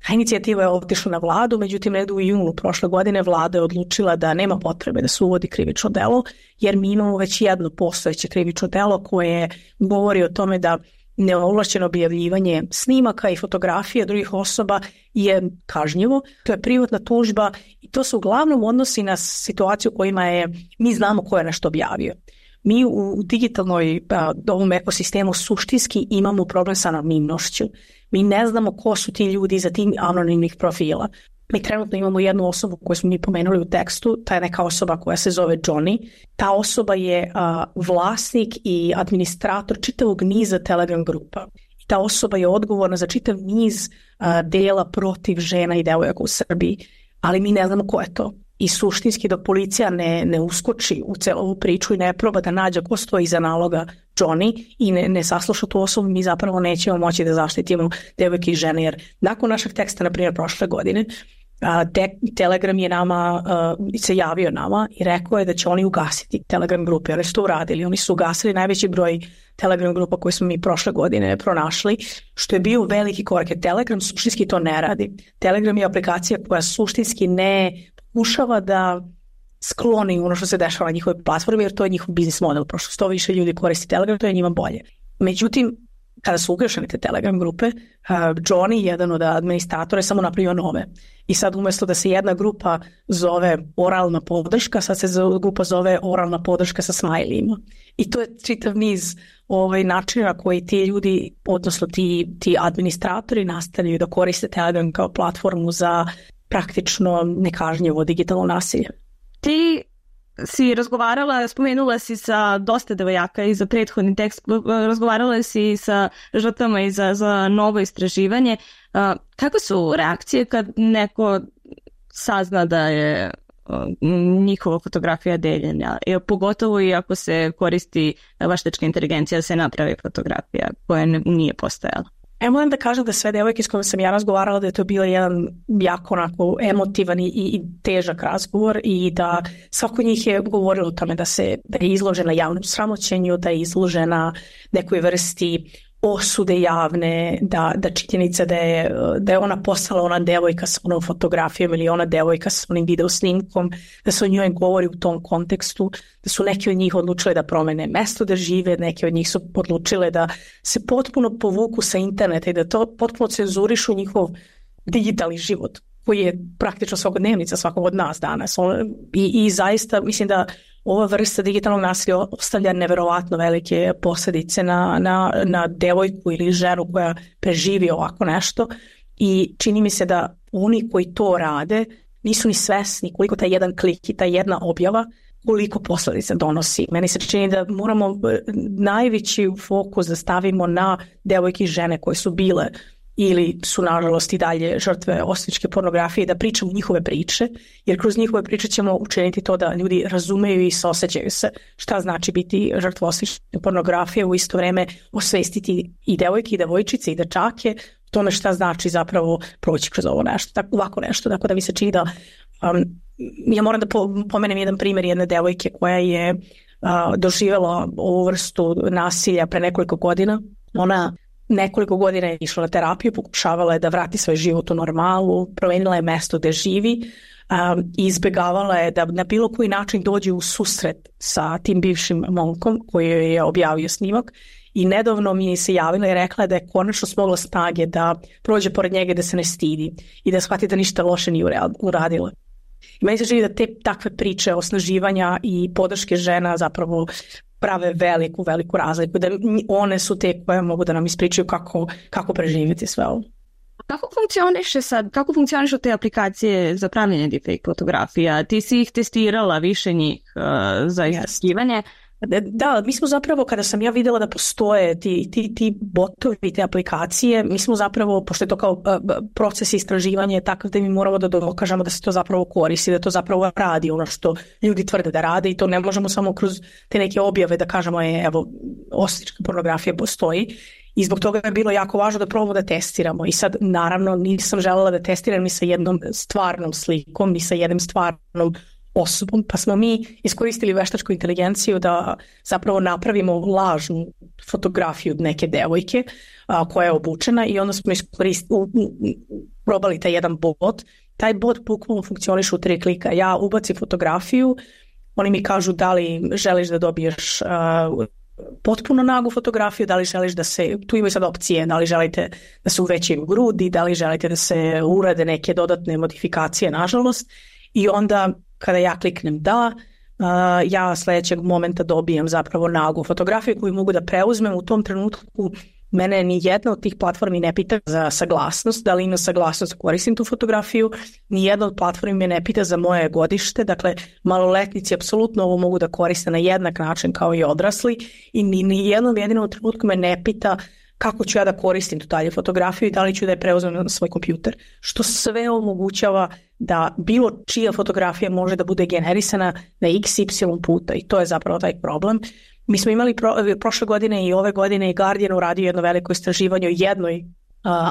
Ta inicijativa je otišla na vladu, međutim negdje u junu prošle godine vlada je odlučila da nema potrebe da se uvodi krivično delo, jer mi imamo već jedno postojeće krivično delo koje govori o tome da neovlašćeno objavljivanje snimaka i fotografija drugih osoba je kažnjivo. To je privatna tužba i to se uglavnom odnosi na situaciju u kojima je, mi znamo ko je nešto objavio. Mi u digitalnoj a, ovom ekosistemu suštinski imamo problem sa anonimnošću. Mi ne znamo ko su ti ljudi iza tih anonimnih profila. Mi trenutno imamo jednu osobu koju smo mi pomenuli u tekstu, ta je neka osoba koja se zove Johnny. Ta osoba je a, vlasnik i administrator čitavog niza Telegram grupa. I ta osoba je odgovorna za čitav niz a, dela protiv žena i devojaka u Srbiji, ali mi ne znamo ko je to. I suštinski dok policija ne, ne uskoči u celu ovu priču i ne proba da nađe ko stoji iza naloga Johnny i ne, ne sasluša tu osobu, mi zapravo nećemo moći da zaštitimo devojke i žene, jer nakon našeg teksta, na primjer prošle godine, Telegram je nama, se javio nama i rekao je da će oni ugasiti Telegram grupe. Oni su to uradili. Oni su ugasili najveći broj Telegram grupa koje smo mi prošle godine pronašli, što je bio veliki korak. Telegram suštinski to ne radi. Telegram je aplikacija koja suštinski ne pokušava da skloni ono što se dešava na njihovoj platformi, jer to je njihov biznis model. Prošto sto više ljudi koristi Telegram, to je njima bolje. Međutim, kada su ugašene te Telegram grupe, uh, Johnny, jedan od administratora, je samo napravio nove. I sad umjesto da se jedna grupa zove oralna podrška, sad se grupa zove oralna podrška sa smajlijima. I to je čitav niz ovaj, načina koji ti ljudi, odnosno ti, ti administratori nastavljaju da koriste Telegram kao platformu za praktično nekažnjivo digitalno nasilje. Ti si razgovarala, spomenula si sa dosta devojaka i za prethodni tekst, razgovarala si sa žrtvama i za, za novo istraživanje. Kako su reakcije kad neko sazna da je njihova fotografija deljena? Pogotovo i ako se koristi veštačka inteligencija da se napravi fotografija koja nije postojala. Ja moram da kažem da sve devojke s kojima sam ja razgovarala da je to bio jedan jako onako emotivan i, i težak razgovor i da svako njih je govorilo o tome da, se, da je izložena javnom sramoćenju, da je izložena nekoj vrsti osude javne, da, da činjenica da je, da je ona postala ona devojka sa onom fotografijom ili ona devojka sa onim video snimkom, da se o njoj govori u tom kontekstu, da su neki od njih odlučile da promene mesto da žive, neki od njih su odlučile da se potpuno povuku sa interneta i da to potpuno cenzurišu njihov digitalni život, koji je praktično svakodnevnica svakog od nas danas. I, i zaista mislim da ova vrsta digitalnog nasilja ostavlja neverovatno velike posljedice na, na, na devojku ili ženu koja preživi ovako nešto i čini mi se da oni koji to rade nisu ni svesni koliko taj jedan klik i ta jedna objava koliko posljedica donosi. Meni se čini da moramo najveći fokus da stavimo na devojke i žene koje su bile ili su nažalost i dalje žrtve osvetničke pornografije, da pričamo njihove priče, jer kroz njihove priče ćemo učiniti to da ljudi razumeju i osjećaju se šta znači biti žrtva osvetničke pornografije, u isto vrijeme osvestiti i devojke i devojčice i dečake tome šta znači zapravo proći kroz ovo nešto, tako, ovako nešto, tako da mi se čini da um, ja moram da pomenem jedan primjer jedne devojke koja je uh, doživjela ovu vrstu nasilja pre nekoliko godina. Ona nekoliko godina je išla na terapiju, pokušavala je da vrati svoj život u normalu, promenila je mesto gdje živi um, i izbjegavala je da na bilo koji način dođe u susret sa tim bivšim momkom koji je objavio snimak i nedavno mi je se javila i rekla da je konačno smogla snage da prođe pored njega, da se ne stidi i da shvati da ništa loše nije uradila. I meni se čini da te takve priče osnaživanja i podrške žena zapravo prave veliku, veliku razliku, da one su te koje mogu da nam ispričaju kako, kako preživjeti sve ovo. Kako funkcioniše sad, kako funkcionišu te aplikacije za pravljenje deepfake fotografija? Ti si ih testirala, više njih uh, za istraživanje. Da, mi smo zapravo, kada sam ja vidjela da postoje ti, ti, ti botovi, te aplikacije, mi smo zapravo, pošto je to kao proces istraživanja je takav da mi moramo da dokažemo da se to zapravo koristi, da to zapravo radi ono što ljudi tvrde da rade i to ne možemo samo kroz te neke objave da kažemo je, evo, osvetnička pornografija postoji. I zbog toga je bilo jako važno da probamo da testiramo. I sad, naravno, nisam željela da testiram ni sa jednom stvarnom slikom, ni sa jednom stvarnom osobom, pa smo mi iskoristili veštačku inteligenciju da zapravo napravimo lažnu fotografiju od neke devojke a, koja je obučena i onda smo iskoristili, u, u, probali taj jedan bot. Taj bot bukvalno funkcioniše u tri klika. Ja ubacim fotografiju, oni mi kažu da li želiš da dobiješ a, potpuno nagu fotografiju, da li želiš da se, tu imaju sad opcije, da li želite da se uvećaju grudi, da li želite da se urade neke dodatne modifikacije, nažalost, i onda kada ja kliknem da, uh, ja sljedećeg momenta dobijem zapravo nagu fotografiju koju mogu da preuzmem. U tom trenutku mene ni jedna od tih platformi ne pita za saglasnost, da li ima saglasnost da koristim tu fotografiju, ni jedna od platformi me ne pita za moje godište, dakle maloletnici apsolutno ovo mogu da koriste na jednak način kao i odrasli i ni, ni jednom jedinom trenutku me ne pita kako ću ja da koristim tu dalje fotografiju i da li ću da je preuzmem na svoj kompjuter, što sve omogućava da bilo čija fotografija može da bude generisana na iks ipsilon puta i to je zapravo taj problem. Mi smo imali pro, prošle godine i ove godine i Guardian uradio jedno veliko istraživanje o jednoj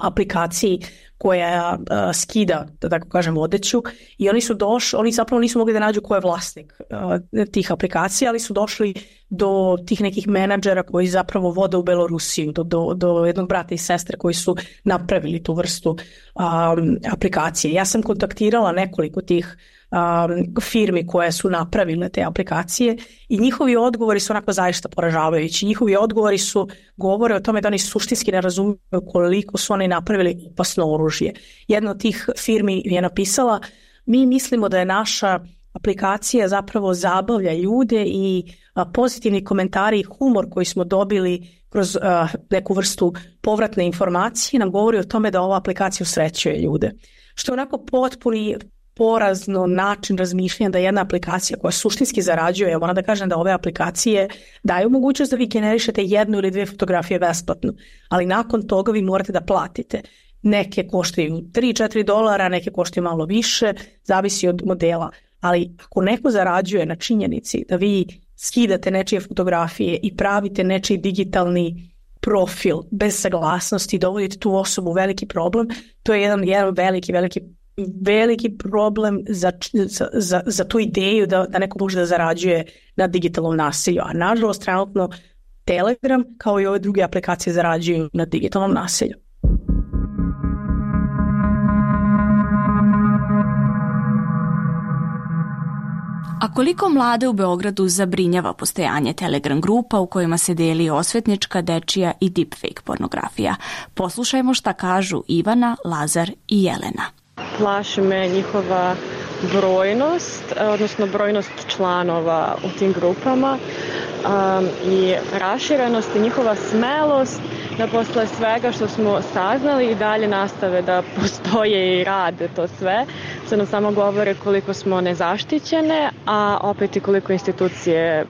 aplikaciji koja uh, skida, da tako kažem, odeću i oni su došli, oni zapravo nisu mogli da nađu ko je vlasnik uh, tih aplikacija, ali su došli do tih nekih menadžera koji zapravo vode u Belorusiju, do, do, do jednog brata i sestre koji su napravili tu vrstu um, aplikacije. Ja sam kontaktirala nekoliko tih um, firmi koje su napravile te aplikacije i njihovi odgovori su onako zaista poražavajući. Njihovi odgovori su govore o tome da oni suštinski ne razumiju koliko su oni napravili opasno oružje. Jedna od tih firmi je napisala: mi mislimo da je naša aplikacija zapravo zabavlja ljude i a, pozitivni komentari i humor koji smo dobili kroz a, neku vrstu povratne informacije nam govori o tome da ova aplikacija usrećuje ljude. Što je onako potpuni porazno način razmišljanja da jedna aplikacija koja suštinski zarađuje, ja moram da kažem da ove aplikacije daju mogućnost da vi generišete jednu ili dvije fotografije besplatno, ali nakon toga vi morate da platite. Neke koštaju tri do četiri dolara, neke koštaju malo više, zavisi od modela. Ali ako neko zarađuje na činjenici da vi skidate nečije fotografije i pravite nečiji digitalni profil bez saglasnosti i dovodite tu osobu u veliki problem, to je jedan, jedan veliki, veliki, veliki problem za, za, za tu ideju da, da neko može da zarađuje na digitalnom nasilju. A nažalost, trenutno Telegram kao i ove druge aplikacije zarađuju na digitalnom nasilju. A koliko mlade u Beogradu zabrinjava postojanje Telegram grupa u kojima se deli osvetnička, dečija i deepfake pornografija? Poslušajmo šta kažu Ivana, Lazar i Jelena. Plaši me njihova brojnost, odnosno brojnost članova u tim grupama um, i raširenost i njihova smelost da posle svega što smo saznali i dalje nastave da postoje i rade to sve, što nam samo govore koliko smo nezaštićene, a opet i koliko institucije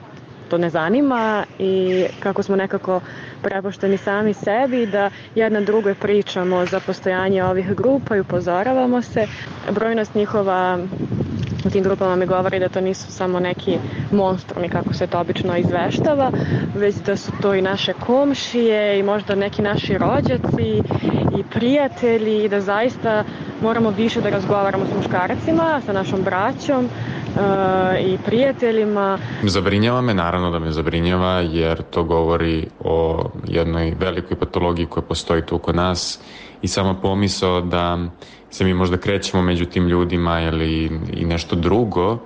to ne zanima i kako smo nekako prepušteni sami sebi, da jedna drugoj pričamo za postojanje ovih grupa i upozoravamo se. Brojnost njihova u tim grupama mi govori da to nisu samo neki monstrumi kako se to obično izveštava, već da su to i naše komšije i možda neki naši rođaci i prijatelji i da zaista moramo više da razgovaramo s muškarcima, sa našom braćom i prijateljima. Zabrinjava me, naravno da me zabrinjava, jer to govori o jednoj velikoj patologiji koja postoji tu kod nas i sama pomisao da se mi možda krećemo među tim ljudima ili i nešto drugo,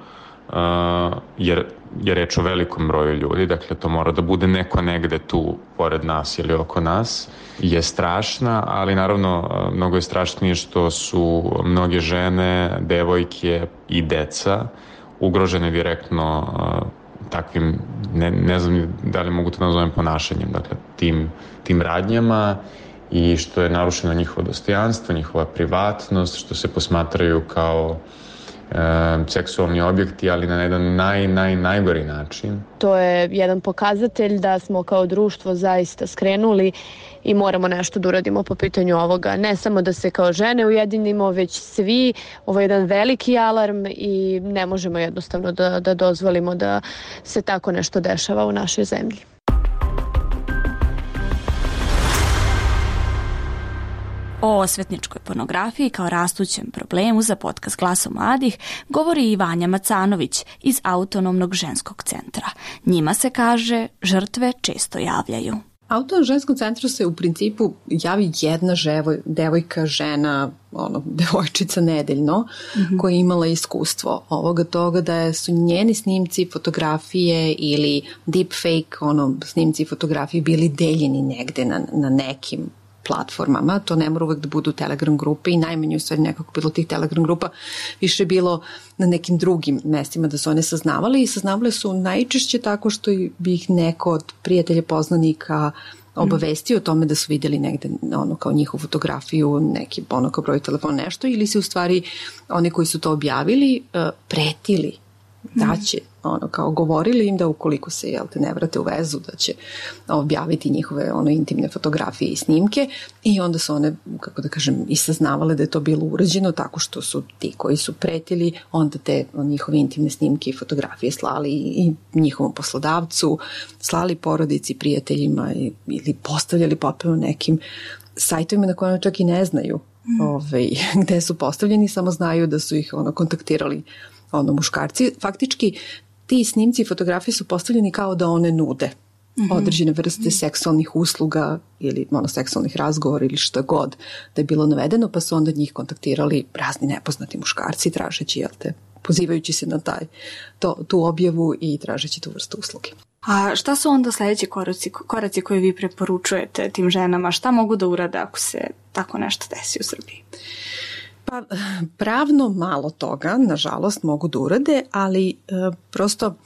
jer je reč o velikom broju ljudi, dakle to mora da bude neko negde tu pored nas ili oko nas, je strašna, ali naravno mnogo je strašnije što su mnoge žene, devojke i deca ugrožene direktno uh, takvim, ne, ne znam da li mogu to nazovem ponašanjem, dakle tim, tim radnjama i što je narušeno njihovo dostojanstvo, njihova privatnost, što se posmatraju kao e, seksualni objekti, ali na jedan naj, naj, najgori način. To je jedan pokazatelj da smo kao društvo zaista skrenuli i moramo nešto da uradimo po pitanju ovoga. Ne samo da se kao žene ujedinimo, već svi. Ovo je jedan veliki alarm i ne možemo jednostavno da, da dozvolimo da se tako nešto dešava u našoj zemlji. O osvetničkoj pornografiji kao rastućem problemu za podcast Glasom mladih govori i Vanja Macanović iz Autonomnog ženskog centra. Njima se kaže žrtve često javljaju. Autonomnom ženskom centru se u principu javi jedna ževoj, devojka, žena, ono, devojčica nedeljno, mm-hmm. koja je imala iskustvo ovoga toga da su njeni snimci, fotografije ili deepfake, ono, snimci i fotografije bili deljeni negde na, na nekim platformama, to ne mora uvek da budu Telegram grupe i najmanje u stvari nekako bilo tih Telegram grupa, više bilo na nekim drugim mestima da su one saznavale i saznavale su najčešće tako što bi ih neko od prijatelja poznanika obavestio o tome da su vidjeli negde ono kao njihovu fotografiju, neki ono kao broj telefona, nešto, ili se u stvari oni koji su to objavili pretili da će ono, kao govorili im da ukoliko se, jel te, ne vrate u vezu, da će objaviti njihove ono intimne fotografije i snimke, i onda su one, kako da kažem, i saznavale da je to bilo urađeno tako što su ti koji su pretili onda te njihove intimne snimke i fotografije slali i njihovom poslodavcu, slali porodici, prijateljima ili postavljali potpuno nekim sajtovima na kojima čak i ne znaju mm. ovaj, gde su postavljeni, samo znaju da su ih ono kontaktirali ono muškarci. Faktički ti snimci i fotografije su postavljeni kao da one nude mm-hmm. određene vrste mm-hmm. seksualnih usluga ili ono, seksualnih razgovora ili što god da je bilo navedeno, pa su onda njih kontaktirali razni nepoznati muškarci tražeći, jel te, pozivajući se na taj, to, tu objavu i tražeći tu vrstu usluge. A šta su onda sljedeći koraci, koraci koje vi preporučujete tim ženama? Šta mogu da urade ako se tako nešto desi u Srbiji? Pa pravno malo toga, nažalost, mogu da urade, ali e, prosto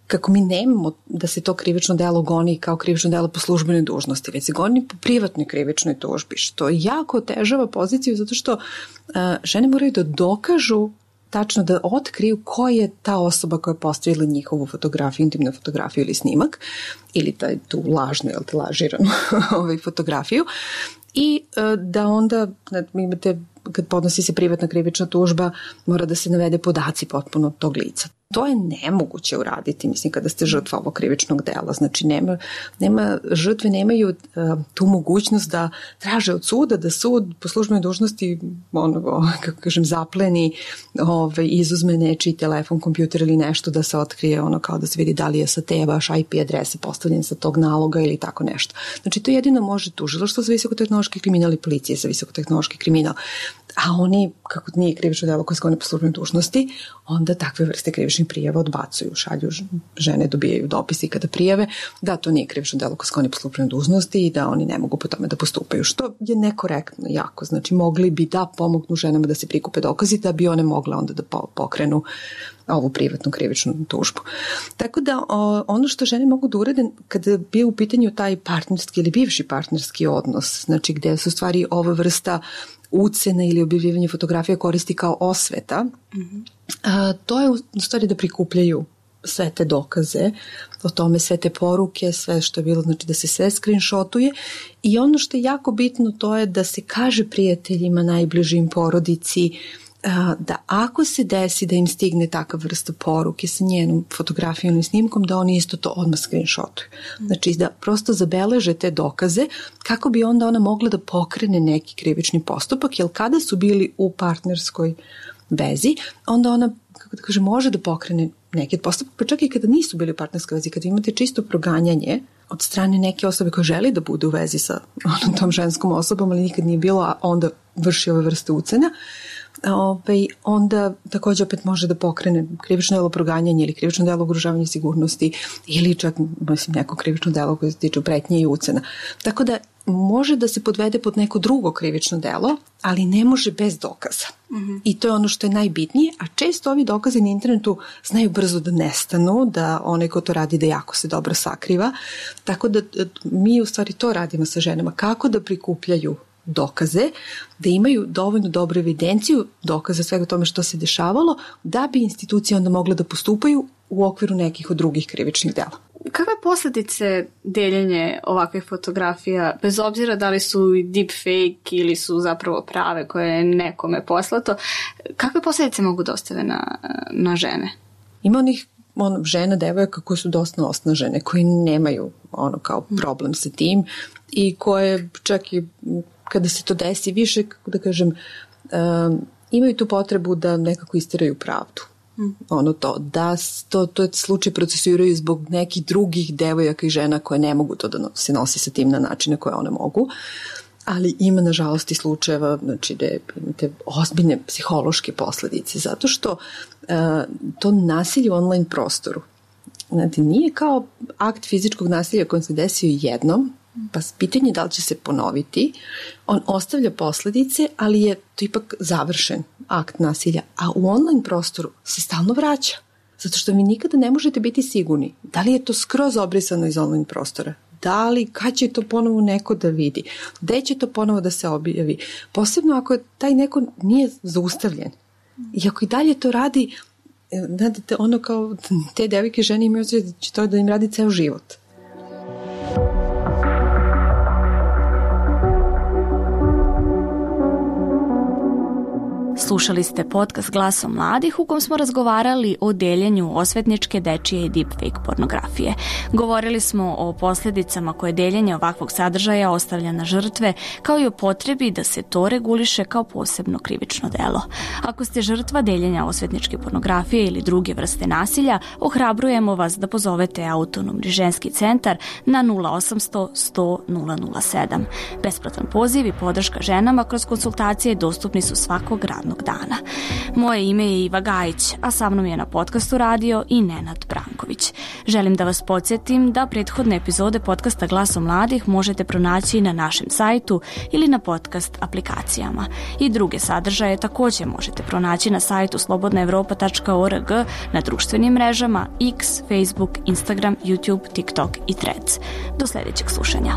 kako mi nemamo da se to krivično delo goni kao krivično delo po službenoj dužnosti, već se goni po privatnoj krivičnoj tužbi, što jako otežava poziciju zato što e, žene moraju da dokažu tačno da otkriju ko je ta osoba koja je postavila njihovu fotografiju, intimnu fotografiju ili snimak, ili taj, tu lažnu, jel te, lažiranu ovaj, fotografiju, i da onda imate, kad podnosi se privatna krivična tužba, mora da se navede podaci potpuno tog lica. To je nemoguće uraditi, mislim, kada ste žrtva ovog krivičnog dela. Znači, nema, nema, žrtve nemaju uh, tu mogućnost da traže od suda, da sud po službenoj dužnosti, ono, kako kažem, zapleni, ovaj, izuzme nečiji telefon, kompjuter ili nešto, da se otkrije, ono, kao da se vidi da li je sa te vaš I P adrese postavljen sa tog naloga ili tako nešto. Znači, to jedino može tužilaštvo za visokotehnološki kriminal i policije za visokotehnološki kriminal. A oni, kako nije krivično delo koje se goni po službenoj dužnosti, onda takve vrste krivičnih prijava odbacuju, šalju, žene dobijaju dopisi kada prijave da to nije krivično delo koje se goni po službenoj dužnosti i da oni ne mogu po tome da postupaju, što je nekorektno jako. Znači, mogli bi da pomognu ženama da se prikupe dokazi da bi one mogle onda da pokrenu ovu privatnu krivičnu tužbu. Tako da ono što žene mogu da urade kada bi u pitanju taj partnerski ili bivši partnerski odnos, znači gde su stvari ova vrsta ucene ili objavljivanje fotografija koristi kao osveta, mm-hmm. a, to je u stvari da prikupljaju sve te dokaze o tome, sve te poruke, sve što je bilo, znači da se sve screenshotuje, i ono što je jako bitno to je da se kaže prijateljima, najbližim, porodici, da ako se desi da im stigne takav vrsta poruke sa njenom fotografijom i snimkom, da oni isto to odmah screenshotuju. Znači da prosto zabeleže te dokaze kako bi onda ona mogla da pokrene neki krivični postupak, jer kada su bili u partnerskoj vezi, onda ona, kako da kažem, može da pokrene neki postupak, pa čak i kada nisu bili u partnerskoj vezi, kada imate čisto proganjanje od strane neke osobe koja želi da bude u vezi sa onom tom ženskom osobom, ali nikad nije bilo, a onda vrši ove vrste ucena, Ove, onda također opet može da pokrene krivično delo proganjanja ili krivično delo ugrožavanja sigurnosti ili čak, mislim, neko krivično delo koje se tiče pretnje i ucena. Tako da može da se podvede pod neko drugo krivično delo, ali ne može bez dokaza. Mm-hmm. I to je ono što je najbitnije, a često ovi dokazi na internetu znaju brzo da nestanu, da onaj ko to radi da jako se dobro sakriva. Tako da mi u stvari to radimo sa ženama, kako da prikupljaju dokaze, da imaju dovoljno dobru evidenciju dokaza svega tome što se dešavalo, da bi institucije onda mogle da postupaju u okviru nekih od drugih krivičnih dela. Kakve posljedice deljenje ovakvih fotografija, bez obzira da li su deepfake ili su zapravo prave koje je nekome poslato, kakve posljedice mogu da ostave na, na žene? Ima onih on, žena, devojaka koje su dosta osnažene, koji nemaju ono kao problem sa tim i koje čak i kada se to desi više, kako da kažem, um, imaju tu potrebu da nekako istiraju pravdu. Mm. Ono to, da to, to je slučaj procesuiraju zbog nekih drugih devojaka i žena koje ne mogu to da se nosi sa tim na načine koje one mogu. Ali ima, nažalost, i slučajeva, znači, da imate ozbiljne psihološke posljedice, zato što uh, to nasilje u online prostoru, znači, nije kao akt fizičkog nasilja koji se desio jednom, pa pitanje da li će se ponoviti, on ostavlja posljedice, ali je to ipak završen akt nasilja, a u online prostoru se stalno vraća, zato što vi nikada ne možete biti sigurni da li je to skroz obrisano iz online prostora, da li, kad će to ponovo neko da vidi, gde će to ponovo da se objavi, posebno ako taj neko nije zaustavljen i ako i dalje to radi, znate, ono kao te devojke žene imaju osjećaj da će to da im radi ceo život. Slušali ste podcast Glasom mladih u kom smo razgovarali o deljenju osvetničke, dečije i deepfake pornografije. Govorili smo o posljedicama koje deljenje ovakvog sadržaja ostavlja na žrtve, kao i o potrebi da se to reguliše kao posebno krivično delo. Ako ste žrtva deljenja osvetničke pornografije ili druge vrste nasilja, ohrabrujemo vas da pozovete Autonomni ženski centar na nula osamsto sto nula nula sedam. Besplatan poziv i podrška ženama kroz konsultacije dostupni su svakog radnog dana. Moje ime je Iva Gajić, a sa mnom je na podcastu radio i Nenad Branković. Želim da vas podsjetim da prethodne epizode podcasta Glasom mladih možete pronaći na našem sajtu ili na podcast aplikacijama. I druge sadržaje također možete pronaći na sajtu slobodna evropa tačka org, na društvenim mrežama X, Facebook, Instagram, YouTube, TikTok i Threads. Do sljedećeg slušanja.